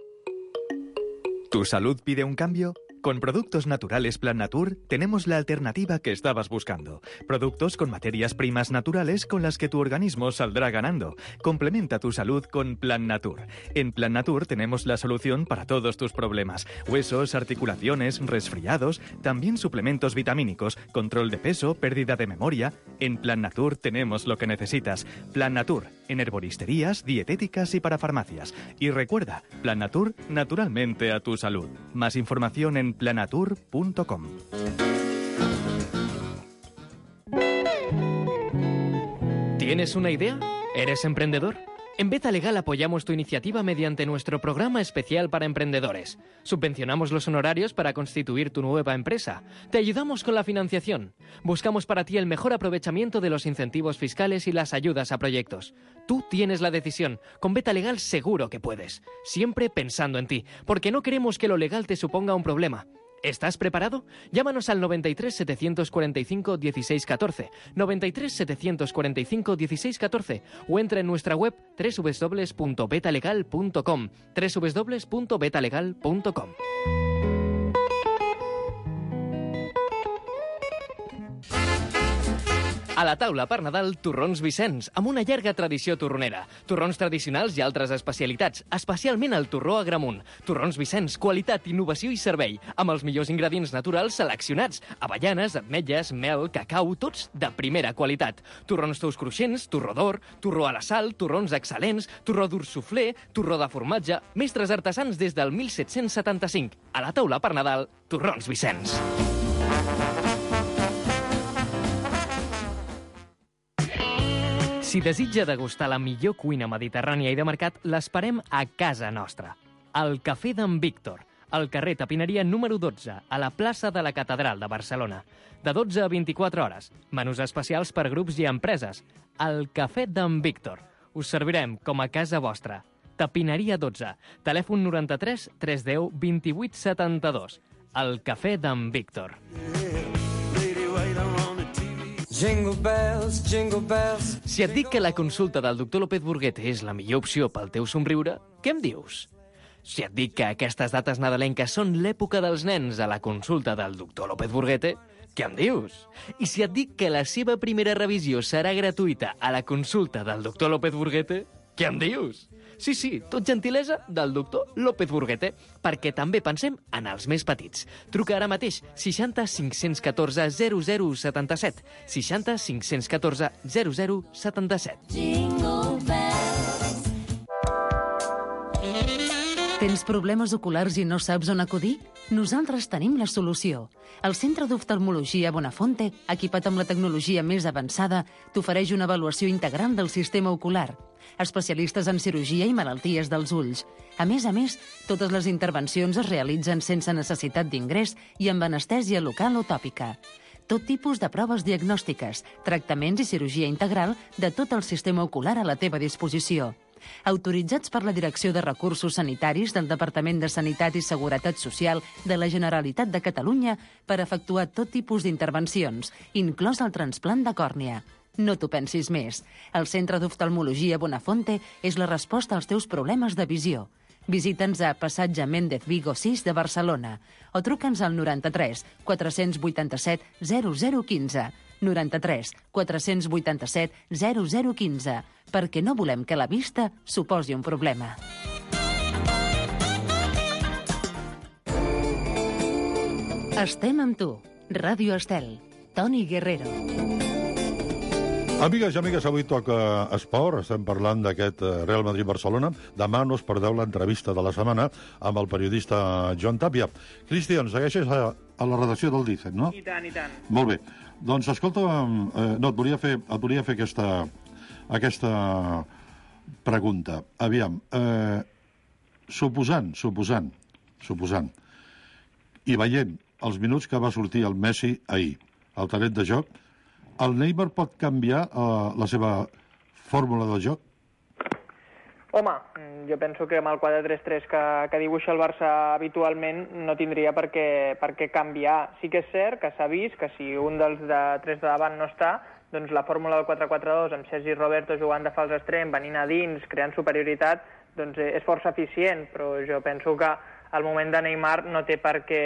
¿Tu salud pide un cambio? Con Productos Naturales Plan Natur tenemos la alternativa que estabas buscando. Productos con materias primas naturales con las que tu organismo saldrá ganando. Complementa tu salud con Plan Natur. En Plan Natur tenemos la solución para todos tus problemas. Huesos, articulaciones, resfriados, también suplementos vitamínicos, control de peso, pérdida de memoria. En Plan Natur tenemos lo que necesitas. Plan Natur, en herboristerías, dietéticas y para farmacias. Y recuerda, Plan Natur, naturalmente a tu salud. Más información en planatur punto com. ¿Tienes una idea? ¿Eres emprendedor? En Beta Legal apoyamos tu iniciativa mediante nuestro programa especial para emprendedores. Subvencionamos los honorarios para constituir tu nueva empresa. Te ayudamos con la financiación. Buscamos para ti el mejor aprovechamiento de los incentivos fiscales y las ayudas a proyectos. Tú tienes la decisión. Con Beta Legal seguro que puedes. Siempre pensando en ti, porque no queremos que lo legal te suponga un problema. ¿Estás preparado? Llámanos al noventa y tres, setecientos cuarenta y cinco, dieciséis catorce, noventa y tres, setecientos cuarenta y cinco, dieciséis catorce o entra en nuestra web doble u doble u doble u punto betalegal punto com, doble u doble u doble u punto betalegal punto com. A la taula per Nadal, Torrons Vicenç, amb una llarga tradició torronera. Torrons tradicionals i altres especialitats, especialment el torró Agramunt. Torrons Vicenç, qualitat, innovació i servei, amb els millors ingredients naturals seleccionats. Avellanes, ametlles, mel, cacau, tots de primera qualitat. Torrons tous cruixents, torró d'or, torró a la sal, torrons excel·lents, torró dur suflé, torró de formatge, mestres artesans des del mil set-cents setanta-cinc. A la taula per Nadal, Torrons Vicenç. Si desitja degustar la millor cuina mediterrània i de mercat, l'esperem a casa nostra. Al Cafè d'en Víctor, al carrer Tapineria número dotze, a la plaça de la Catedral de Barcelona. De dotze a vint-i-quatre hores. Menús especials per grups i empreses. Al Cafè d'en Víctor. Us servirem com a casa vostra. Tapineria dotze. Telèfon noranta-tres, tres deu, vint-i-vuit setanta-dos. Al Cafè d'en Víctor. Jingle bells, jingle bells. Si et dic que la consulta del doctor López Burguete és la millor opció pel teu somriure, què em dius? Si et dic que aquestes dates nadalenques són l'època dels nens a la consulta del doctor López Burguete, què em dius? I si et dic que la seva primera revisió serà gratuïta a la consulta del doctor López Burguete, què em dius? Sí, sí, tot gentilesa del doctor López Burguete, perquè també pensem en els més petits. Truca ara mateix seixanta cinc-cents catorze zero zero setanta-set, seixanta cinc-cents catorze zero zero setanta-set. Tens problemes oculars i no saps on acudir? Nosaltres tenim la solució. El Centre d'Oftalmologia Bonafonte, equipat amb la tecnologia més avançada, t'ofereix una avaluació integral del sistema ocular. Especialistes en cirurgia i malalties dels ulls. A més a més, totes les intervencions es realitzen sense necessitat d'ingrés i amb anestèsia local o tòpica. Tot tipus de proves diagnòstiques, tractaments i cirurgia integral de tot el sistema ocular a la teva disposició. Autoritzats per la Direcció de Recursos Sanitaris del Departament de Sanitat i Seguretat Social de la Generalitat de Catalunya per efectuar tot tipus d'intervencions, inclòs el trasplant de còrnia. No t'ho pensis més. El Centre d'Oftalmologia Bonafonte és la resposta als teus problemes de visió. Visita'ns a Passatge Méndez Vigo sis de Barcelona o truca'ns al noranta-tres, quatre-cents vuitanta-set, zero zero quinze. noranta-tres, quatre-cents vuitanta-set, zero zero quinze, perquè no volem que la vista suposi un problema. Estem amb tu. Ràdio Estel. Toni Guerrero. Amigues i amigues, avui toca esport. Estem parlant d'aquest Real Madrid-Barcelona. Demà no us perdeu l'entrevista de la setmana amb el periodista Joan Tàpia. Cristian, segueixes a, a la redacció del Dicen, no? I tant, i tant. Molt bé. Doncs, escolta, eh, no, et volia fer, et volia fer aquesta, aquesta pregunta. Aviam, eh, suposant, suposant, suposant, i veient els minuts que va sortir el Messi ahir, el talent de joc, el Neymar pot canviar uh, la seva fórmula del joc? Home, jo penso que amb el quatre tres tres que, que dibuixa el Barça habitualment no tindria per què, per què canviar. Sí que és cert que s'ha vist que si un dels de tres de davant no està, doncs la fórmula del quatre quatre dos amb Sergi Roberto jugant de fals extrem, venint a dins, creant superioritat, doncs és força eficient, però jo penso que al moment de Neymar no té per què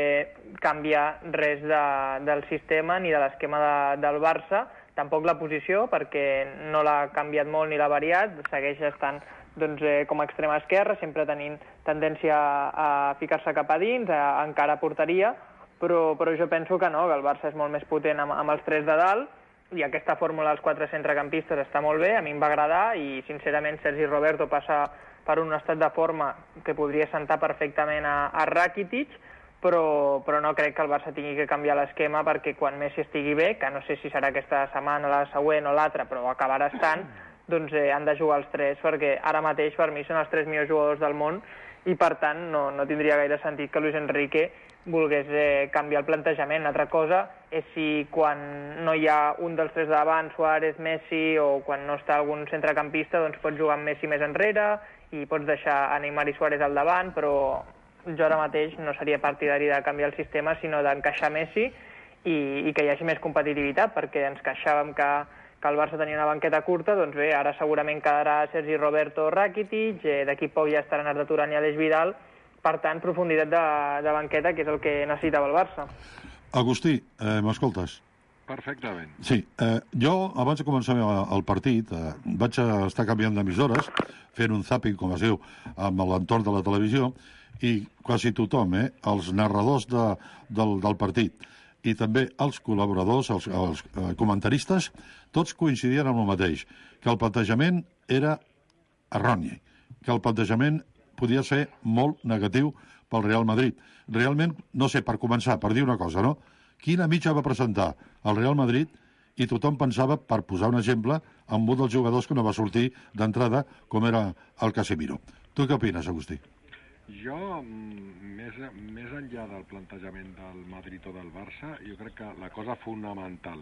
canviar res de, del sistema ni de l'esquema de, del Barça, tampoc la posició, perquè no l'ha canviat molt ni l'ha variat, segueix estant doncs, eh, com a extrema esquerra, sempre tenint tendència a, a ficar-se cap a dins, a, a encara a porteria, però, però jo penso que no, que el Barça és molt més potent amb, amb els tres de dalt, i aquesta fórmula dels quatre centrecampistes està molt bé, a mi em va agradar, i sincerament Sergi Roberto passa per un estat de forma que podria sentar perfectament a, a Rakitic, però, però no crec que el Barça tingui que canviar l'esquema perquè quan Messi estigui bé, que no sé si serà aquesta setmana, la següent o l'altra, però acabarà estant, doncs eh, han de jugar els tres, perquè ara mateix per mi són els tres millors jugadors del món i per tant no, no tindria gaire sentit que Luis Enrique volgués eh, canviar el plantejament. Una altra cosa és si quan no hi ha un dels tres davant, Suárez, Messi, o quan no està algun centrecampista, doncs pots jugar amb Messi més enrere i pots deixar a Neymar i Suárez al davant, però jo ara mateix no seria partidari de canviar el sistema, sinó d'encaixar Messi i, i que hi hagi més competitivitat, perquè ens queixàvem que, que el Barça tenia una banqueta curta, doncs bé, ara segurament quedarà Sergi Roberto o Rakitic, eh, d'aquí poc ja estaran Arda Turan i Aleix Vidal, per tant, profunditat de, de banqueta, que és el que necessitava el Barça. Agustí, eh, m'escoltes? Perfectament. Sí, eh, jo, abans de començar el partit, eh, vaig estar canviant d'emissores, fent un zapping, com es diu, amb l'entorn de la televisió, i quasi tothom, eh, els narradors de, del, del partit, i també els col·laboradors, els, els eh, comentaristes, tots coincidien amb el mateix, que el plantejament era erroni, que el plantejament podia ser molt negatiu pel Real Madrid. Realment, no sé, per començar, per dir una cosa, no? Quina mitja va presentar el Real Madrid i tothom pensava, per posar un exemple, amb un dels jugadors que no va sortir d'entrada, com era el Casemiro. Tu què opines, Agustí? Jo, més, més enllà del plantejament del Madrid o del Barça, jo crec que la cosa fonamental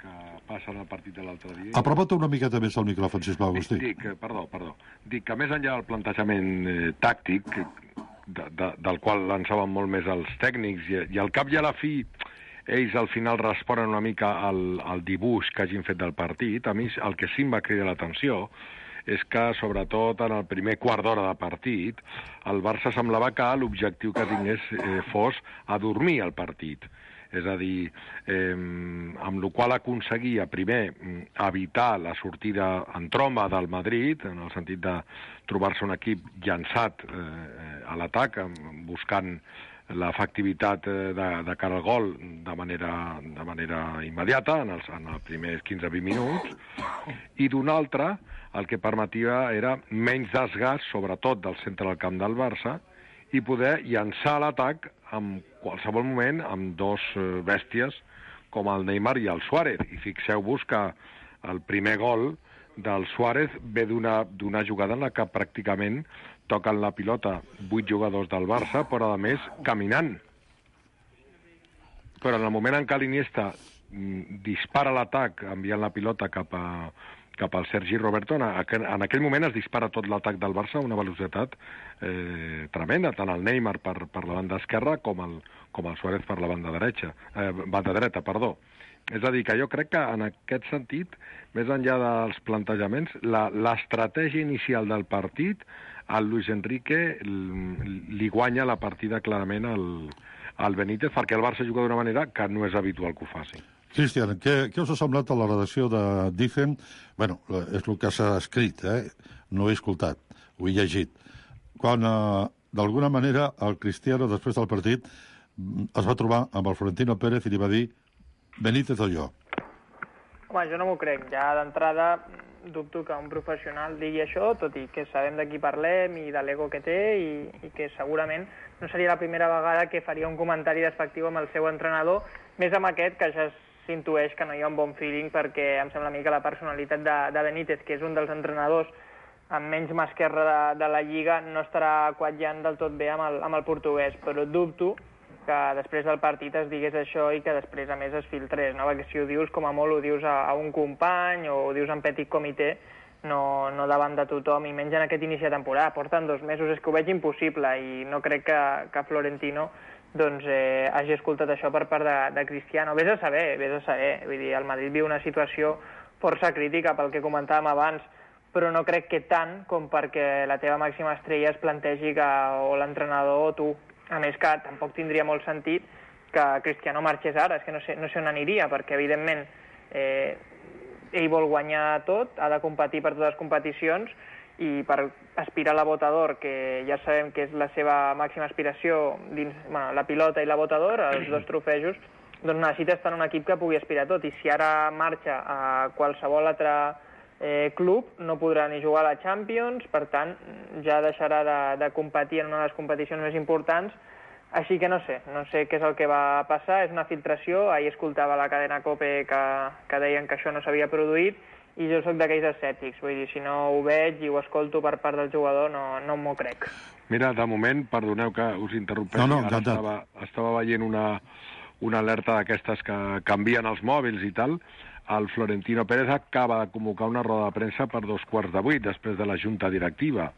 que passa en el partit de l'altre dia... Apropa't una miqueta més al micròfon, sisplau, Agustí. Dic, dic, perdó, perdó. Dic que més enllà del plantejament eh, tàctic, de, de, del qual lançaven molt més els tècnics, i, i al cap i a la fi ells al final responen una mica al, al dibuix que hagin fet del partit, a mi el que sí em va cridar l'atenció és que, sobretot en el primer quart d'hora de partit, el Barça semblava que l'objectiu que tingués eh, fos adormir el partit. És a dir, eh, amb la qual aconseguia, primer, evitar la sortida en tromba del Madrid, en el sentit de trobar-se un equip llançat eh, a l'atac, buscant l'efectivitat de, de cara al gol de manera, de manera immediata, en els, en els primers quinze vint minuts, i d'una altra, el que permetia era menys desgast, sobretot del centre del camp del Barça, i poder llançar l'atac en qualsevol moment amb dos bèsties com el Neymar i el Suárez. I fixeu-vos que el primer gol del Suárez ve d'una jugada en la que pràcticament toquen la pilota vuit jugadors del Barça, però a més caminant. Però en el moment en què l'Iniesta dispara l'atac enviant la pilota cap a cap al Sergi Roberto, en aquell, en aquell moment es dispara tot l'atac del Barça a una velocitat eh, tremenda, tant el Neymar per, per la banda esquerra com el, com el Suárez per la banda dreta, eh, banda dreta, perdó. És a dir, que jo crec que en aquest sentit, més enllà dels plantejaments, l'estratègia inicial del partit, al Luis Enrique li guanya la partida clarament al, al Benítez, perquè el Barça juga d'una manera que no és habitual que ho faci. Cristian, què, què us ha semblat a la redacció de Dicen? Bueno, és el que s'ha escrit, eh? No he escoltat, ho he llegit. Quan, eh, d'alguna manera, el Cristiano, després del partit, es va trobar amb el Florentino Pérez i li va dir Benítez o jo. Home, jo no m'ho crec. Ja d'entrada dubto que un professional digui això, tot i que sabem de qui parlem i de l'ego que té i, i que segurament no seria la primera vegada que faria un comentari despectiu amb el seu entrenador, més amb aquest que ja s'intueix que no hi ha un bon feeling, perquè em sembla a mi que la personalitat de, de Benítez, que és un dels entrenadors amb menys mà esquerra de, de la Lliga, no estarà quatllant del tot bé amb el, amb el portuguès, però dubto que després del partit es digués això i que després, a més, es filtrés, no? Perquè si ho dius, com a molt ho dius a, a un company o ho dius en petit comitè, no, no davant de tothom, i menys en aquest inici de temporada. Porten dos mesos, és que ho veig impossible, i no crec que, que Florentino doncs, eh, hagi escoltat això per part de, de Cristiano. Vés a saber, vés a saber. Vull dir, el Madrid viu una situació força crítica pel que comentàvem abans, però no crec que tant com perquè la teva màxima estrella es plantegi que o l'entrenador o tu. A més que tampoc tindria molt sentit que Cristiano marxés ara, és que no sé, no sé on aniria, perquè evidentment eh, ell vol guanyar tot, ha de competir per totes les competicions, i per aspirar a la Bota d'Or, que ja sabem que és la seva màxima aspiració dins, bueno, la pilota i la Bota d'Or, els dos trofejos, doncs necessita estar en un equip que pugui aspirar a tot, i si ara marxa a qualsevol altre eh, club no podrà ni jugar a la Champions, per tant ja deixarà de, de competir en una de les competicions més importants. Així que no sé, no sé què és el que va passar, és una filtració. Ahir escoltava la cadena COPE que, que deien que això no s'havia produït, i jo soc d'aquells escèptics, vull dir, si no ho veig i ho escolto per part del jugador, no, no m'ho crec. Mira, de moment, perdoneu que us interrompeixi, no, no, ara estava, estava veient una, una alerta d'aquestes que canvien els mòbils i tal. El Florentino Pérez acaba de convocar una roda de premsa per dos quarts de vuit, després de la junta directiva.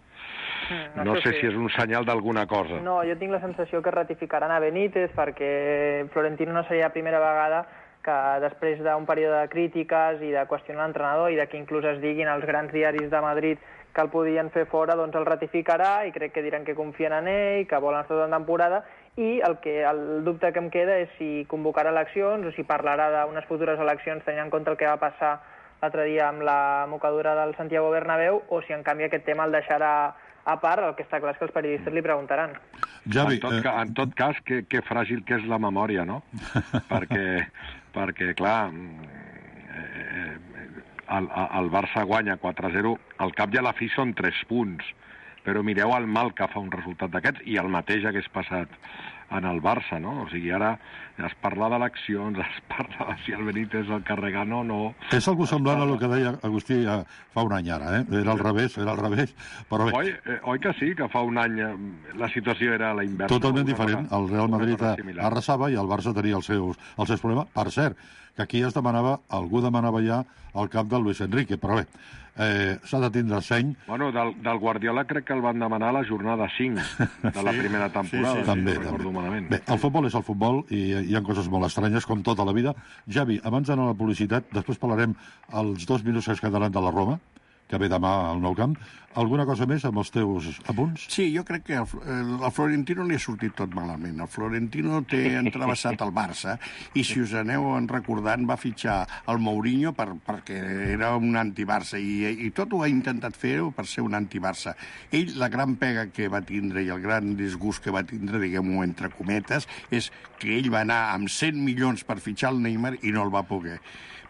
Mm, no això sé sí. si és un senyal d'alguna cosa. No, jo tinc la sensació que ratificaran a Benítez perquè Florentino no seria la primera vegada que després d'un període de crítiques i de qüestionar l'entrenador i de que inclús es diguin als grans diaris de Madrid que el podien fer fora, doncs el ratificarà i crec que diran que confien en ell, que volen estar tota la temporada, i el, que, el dubte que em queda és si convocarà eleccions o si parlarà d'unes futures eleccions tenint en compte el que va passar l'altre dia amb la mocadura del Santiago Bernabéu o si en canvi aquest tema el deixarà a part, el que està clar és que els periodistes li preguntaran. Javi, en, tot, eh... en tot cas, que, que fràgil que és la memòria, no? perquè, perquè, clar, eh, el, el Barça guanya quatre a zero, al cap i a la fi són tres punts, però mireu el mal que fa un resultat d'aquests i el mateix hagués passat en el Barça, no? O sigui, ara es parla d'eleccions, es parla de si el Benítez el carregant o no... És algú semblant a el que deia Agustí fa un any ara, eh? Era al revés, era al revés, però bé... Oi, eh, oi que sí, que fa un any la situació era la inversa? Totalment diferent. El Real Madrid arrasava i el Barça tenia els seus, els seus problemes. Per cert, que aquí es demanava, algú demanava ja el cap del Luis Enrique, però bé, eh, s'ha de tindre seny. Bueno, del, del Guardiola crec que el van demanar a la jornada cinc de la sí, primera temporada, sí, sí, també, si no recordo malament. Bé, el futbol és el futbol i hi ha coses molt estranyes, com tota la vida. Javi, abans d'anar a la publicitat, després parlarem els dos minuts que es quedaran de la Roma, que ve demà al Nou Camp. Alguna cosa més amb els teus apunts? Sí, jo crec que el, el, el Florentino li ha sortit tot malament. El Florentino té entrevessat el Barça i, si us aneu recordant, va fitxar el Mourinho per, perquè era un anti-Barça i, i tot ho ha intentat fer per ser un anti-Barça. Ell, la gran pega que va tindre i el gran disgust que va tindre, diguem-ho entre cometes, és que ell va anar amb cent milions per fitxar el Neymar i no el va poder.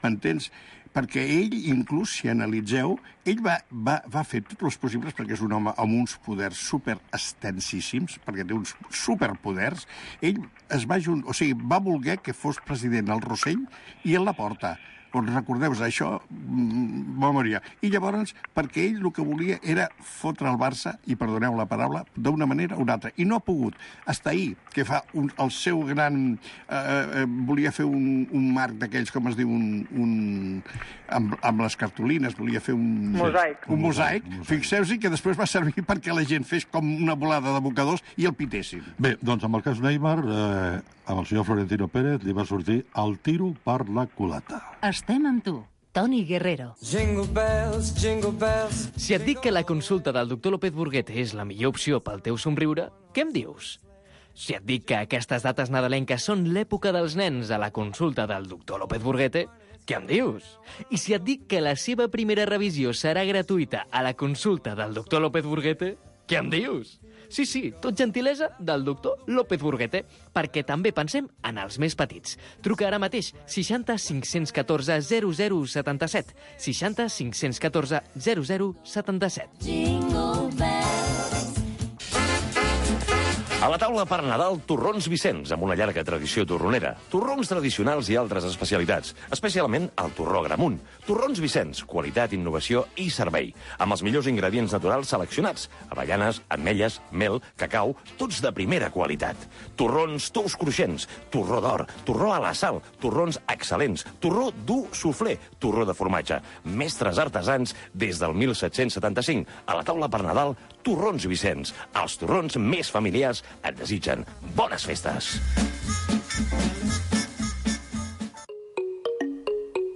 M'entens? Perquè ell, inclús, si analitzeu, ell va, va, va fer tots els possibles perquè és un home amb uns poders superextensíssims, perquè té uns superpoders. Ell es va, junt, o sigui, va voler que fos president el Rossell i el Laporta. Doncs recordeu-vos, això va morir. I llavors, perquè ell el que volia era fotre el Barça, i perdoneu la paraula, d'una manera o una altra. I no ha pogut. Hasta ahir, que fa un, el seu gran... Eh, eh, volia fer un, un marc d'aquells, com es diu, un... un amb, amb les cartolines, volia fer un... Mosaic. Un mosaic. Fixeu-vos que després va servir perquè la gent fes com una volada de mocadors i el pitessin. Bé, doncs amb el cas Neymar, eh, amb el senyor Florentino Pérez li va sortir el tiro per la culata. Estem amb tu, Toni Guerrero. Jingle bells, jingle bells. Si et dic que la consulta del doctor López Burguete és la millor opció pel teu somriure, què em dius? Si et dic que aquestes dates nadalenques són l'època dels nens a la consulta del doctor López Burguete, què em dius? I si et dic que la seva primera revisió serà gratuïta a la consulta del doctor López Burguete, què em dius? Sí, sí, tot gentilesa del doctor López Burguete, perquè també pensem en els més petits. Truca ara mateix seixanta cinc-cents catorze zero zero setanta-set, seixanta cinc-cents catorze zero zero setanta-set. Jingle bells. A la taula per Nadal, torrons Vicenç, amb una llarga tradició torronera. Torrons tradicionals i altres especialitats, especialment el torró Gramunt. Torrons Vicenç, qualitat, innovació i servei, amb els millors ingredients naturals seleccionats. Avellanes, ametlles, mel, cacau, tots de primera qualitat. Torrons tous cruixents, torró d'or, torró a la sal, torrons excel·lents, torró dur soufflé, torró de formatge. Mestres artesans des del mil set-cents setanta-cinc. A la taula per Nadal, torrons Vicenç. Els torrons més familiars et desitgen bones festes.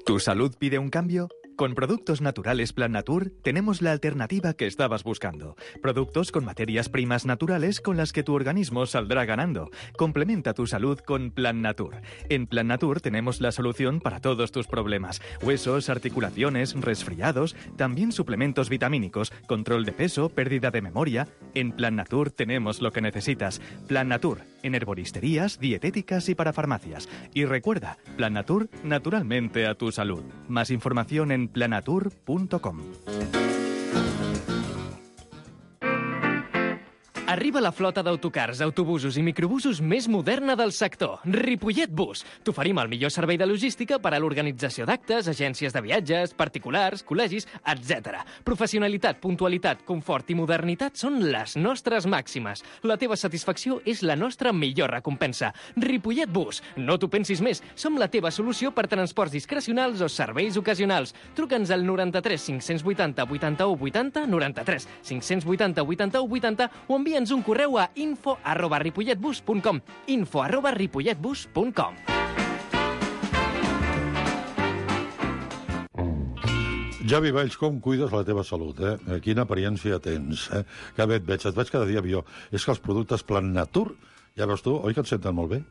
¿Tu salud pide un cambio? Con Productos Naturales Plan Natur tenemos la alternativa que estabas buscando. Productos con materias primas naturales con las que tu organismo saldrá ganando. Complementa tu salud con Plan Natur. En Plan Natur tenemos la solución para todos tus problemas. Huesos, articulaciones, resfriados, también suplementos vitamínicos, control de peso, pérdida de memoria. En Plan Natur tenemos lo que necesitas. Plan Natur, en herboristerías, dietéticas y para farmacias. Y recuerda, Plan Natur, naturalmente a tu salud. Más información en planatur punto com. Arriba la flota d'autocars, autobusos i microbusos més moderna del sector, Ripollet Bus. T'oferim el millor servei de logística per a l'organització d'actes, agències de viatges, particulars, col·legis, etcètera. Professionalitat, puntualitat, confort i modernitat són les nostres màximes. La teva satisfacció és la nostra millor recompensa. Ripollet Bus. No t'ho pensis més. Som la teva solució per transports discrecionals o serveis ocasionals. Truca'ns al noranta-tres cinc-cents vuitanta vuitanta-u vuitanta, noranta-tres cinc-cents vuitanta vuitanta-u vuitanta o envia'ns un correu a info arroba ripolletbus punt com. info arroba ripolletbus punt com. Javi Valls, com cuides la teva salut, eh? Quina apariència tens, eh? Que bé et veig, et veig cada dia millor. És que els productes Plan Natur, ja veus tu, oi que et senten molt bé?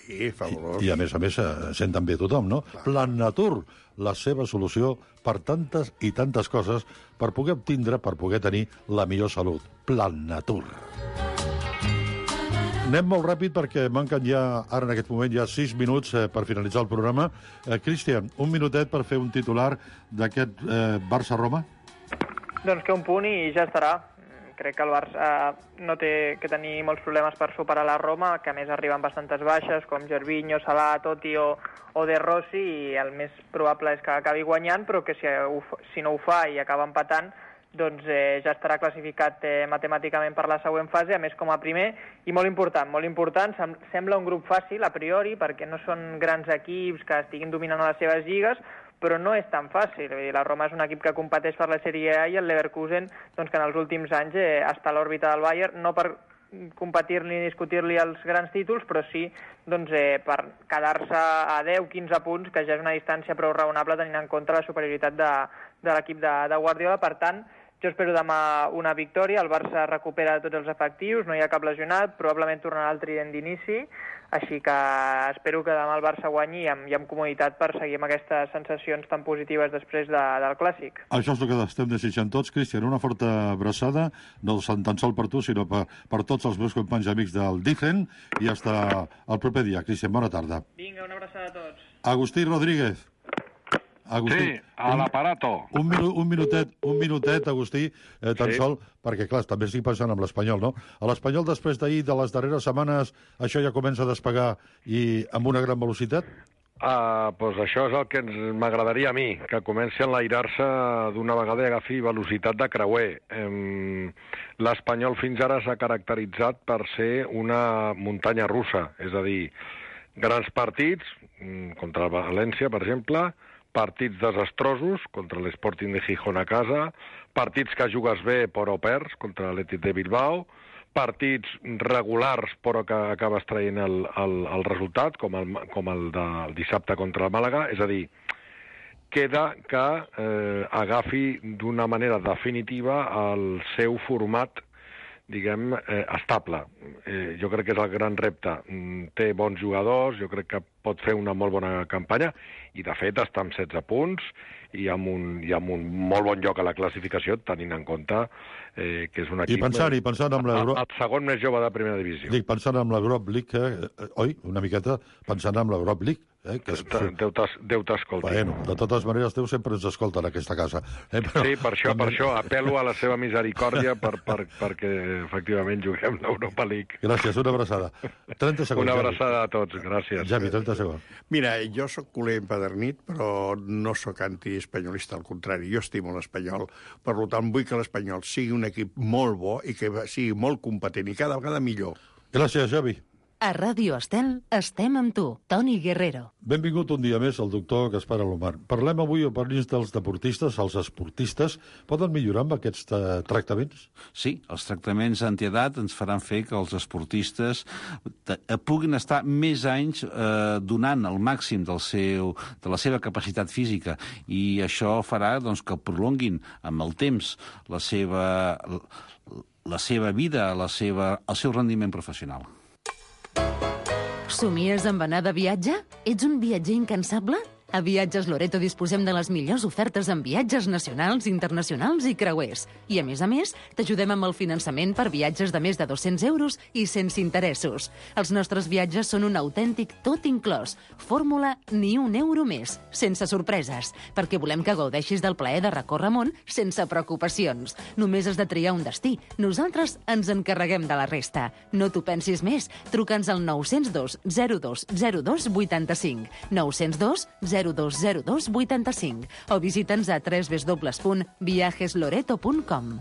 Sí, fabulós. I, i a més a més, eh, senten bé tothom, no? Clar. Plan Natur, la seva solució per tantes i tantes coses per poder obtindre, per poder tenir la millor salut. Plan Natur. Anem molt ràpid perquè manquen ja, ara en aquest moment, ja sis minuts eh, per finalitzar el programa. Eh, Cristian, un minutet per fer un titular d'aquest eh, Barça-Roma? Doncs que un punt i ja estarà. Crec que el Barça no té que tenir molts problemes per superar la Roma, que a més arriben bastantes baixes, com Gervinho, Salah, Totti o, o De Rossi, i el més probable és que acabi guanyant, però que si, ho, si no ho fa i acaba empatant, doncs eh, ja estarà classificat eh, matemàticament per la següent fase, a més com a primer, i molt important, molt important, sem sembla un grup fàcil a priori, perquè no són grans equips que estiguin dominant a les seves lligues, però no és tan fàcil. La Roma és un equip que competeix per la Sèrie A i el Leverkusen, doncs, que en els últims anys eh, està a l'òrbita del Bayern, no per competir-li ni discutir-li els grans títols, però sí doncs, eh, per quedar-se a deu quinze punts, que ja és una distància prou raonable tenint en compte la superioritat de, de l'equip de, de Guardiola. Per tant, jo espero demà una victòria, el Barça recupera tots els efectius, no hi ha cap lesionat, probablement tornarà al trident d'inici, així que espero que demà el Barça guanyi i amb, i amb comoditat per seguir amb aquestes sensacions tan positives després de, del Clàssic. Això és el que estem desitjant tots, Cristian, una forta abraçada, no tan sol per tu, sinó per, per tots els meus companys i amics del Dicen, i fins el proper dia. Cristian, bona tarda. Vinga, una abraçada a tots. Agustí Rodríguez. Agustí, sí, a l'aparato. Un, minu, un minutet, un minutet, Agustí, eh, tan sí. sol, perquè, clar, també estic pensant en l'Espanyol, no? A l'Espanyol, després d'ahir, de les darreres setmanes, això ja comença a despegar i amb una gran velocitat? Uh, pues això és el que m'agradaria a mi, que comenci a enlairar-se d'una vegada i agafi velocitat de creuer. Um, L'Espanyol fins ara s'ha caracteritzat per ser una muntanya russa, és a dir, grans partits, contra el València, per exemple, partits desastrosos contra l'Sporting de Gijón a casa, partits que jugues bé però perds contra l'Atlètic de Bilbao, partits regulars però que acabes traient el, el, el resultat, com el, com el del dissabte contra el Màlaga. És a dir, queda que eh, agafi d'una manera definitiva el seu format, diguem, eh, estable. Eh, jo crec que és el gran repte. Té bons jugadors, jo crec que pot fer una molt bona campanya, i de fet està amb setze punts i amb un, i amb un molt bon lloc a la classificació, tenint en compte eh, que és un equip... I pensant, i pensant amb l'Euro... El segon més jove de primera divisió. Dic, pensant amb l'Europa League, eh, oi, una miqueta, pensant amb l'Europa League, Eh, que és... Déu t'escolti. Bueno, de totes maneres, Déu sempre ens escolta en aquesta casa. Eh, però... Sí, per això, per això apel·lo a la seva misericòrdia per, per, perquè efectivament juguem l'Europa League. Gràcies, una abraçada. trenta segons. Una abraçada a tots, gràcies. Javi, trenta segons. Mira, jo sóc culer empedernit, però no sóc antiespanyolista, al contrari. Jo estimo l'Espanyol. Per tant, vull que l'Espanyol sigui un equip molt bo i que sigui molt competent i cada vegada millor. Gràcies, Javi. A Ràdio Estel estem amb tu, Toni Guerrero. Benvingut un dia més al doctor Gaspar Alomar. Parlem avui o parlem dels deportistes, els esportistes. Poden millorar amb aquests eh, tractaments? Sí, els tractaments antiedat ens faran fer que els esportistes puguin estar més anys eh, donant el màxim del seu, de la seva capacitat física, i això farà doncs, que prolonguin amb el temps la seva, la seva vida, la seva, el seu rendiment professional. Somies amb anar de viatge? Ets un viatger incansable? A Viatges Loreto disposem de les millors ofertes en viatges nacionals, internacionals i creuers. I, a més a més, t'ajudem amb el finançament per viatges de més de dos-cents euros i sense interessos. Els nostres viatges són un autèntic tot inclòs. Fórmula ni un euro més, sense sorpreses, perquè volem que gaudeixis del plaer de recórrer món sense preocupacions. Només has de triar un destí. Nosaltres ens encarreguem de la resta. No t'ho pensis més. Truca'ns al nou zero dos zero dos zero dos vuitanta-cinc, nou zero dos zero dos zero dos vuitanta-cinc o visita'ns a w w w punt viajes loreto punt com.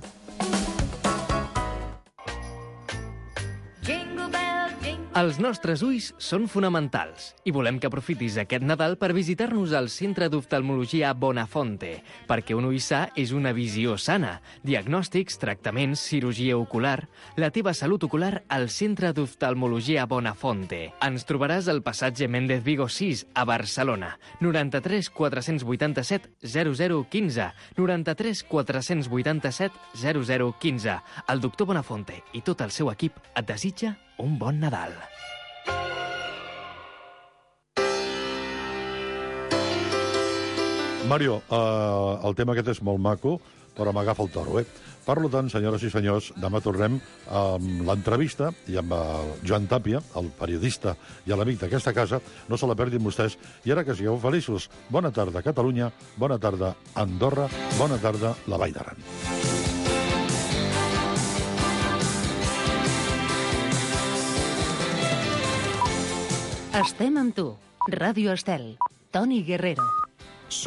Els nostres ulls són fonamentals i volem que aprofitis aquest Nadal per visitar-nos al Centre d'Oftalmologia Bonafonte, perquè un ull sa és una visió sana. Diagnòstics, tractaments, cirurgia ocular... La teva salut ocular al Centre d'Oftalmologia Bonafonte. Ens trobaràs al passatge Méndez Vigo sis, a Barcelona. noranta-tres quatre-cents vuitanta-set zero zero quinze, noranta-tres quatre-cents vuitanta-set zero zero quinze. El doctor Bonafonte i tot el seu equip et desitja un bon Nadal. Mario, eh, el tema aquest és molt maco, però m'agafa el toro, eh? Per tant, senyores i senyors, demà tornem amb l'entrevista i amb el Joan Tàpia, el periodista i l'amic d'aquesta casa. No se la perdin vostès. I ara que sigueu feliços, bona tarda, Catalunya, bona tarda, Andorra, bona tarda, la Vall d'Aran. Estem amb tu. Ràdio Estel. Toni Guerrero.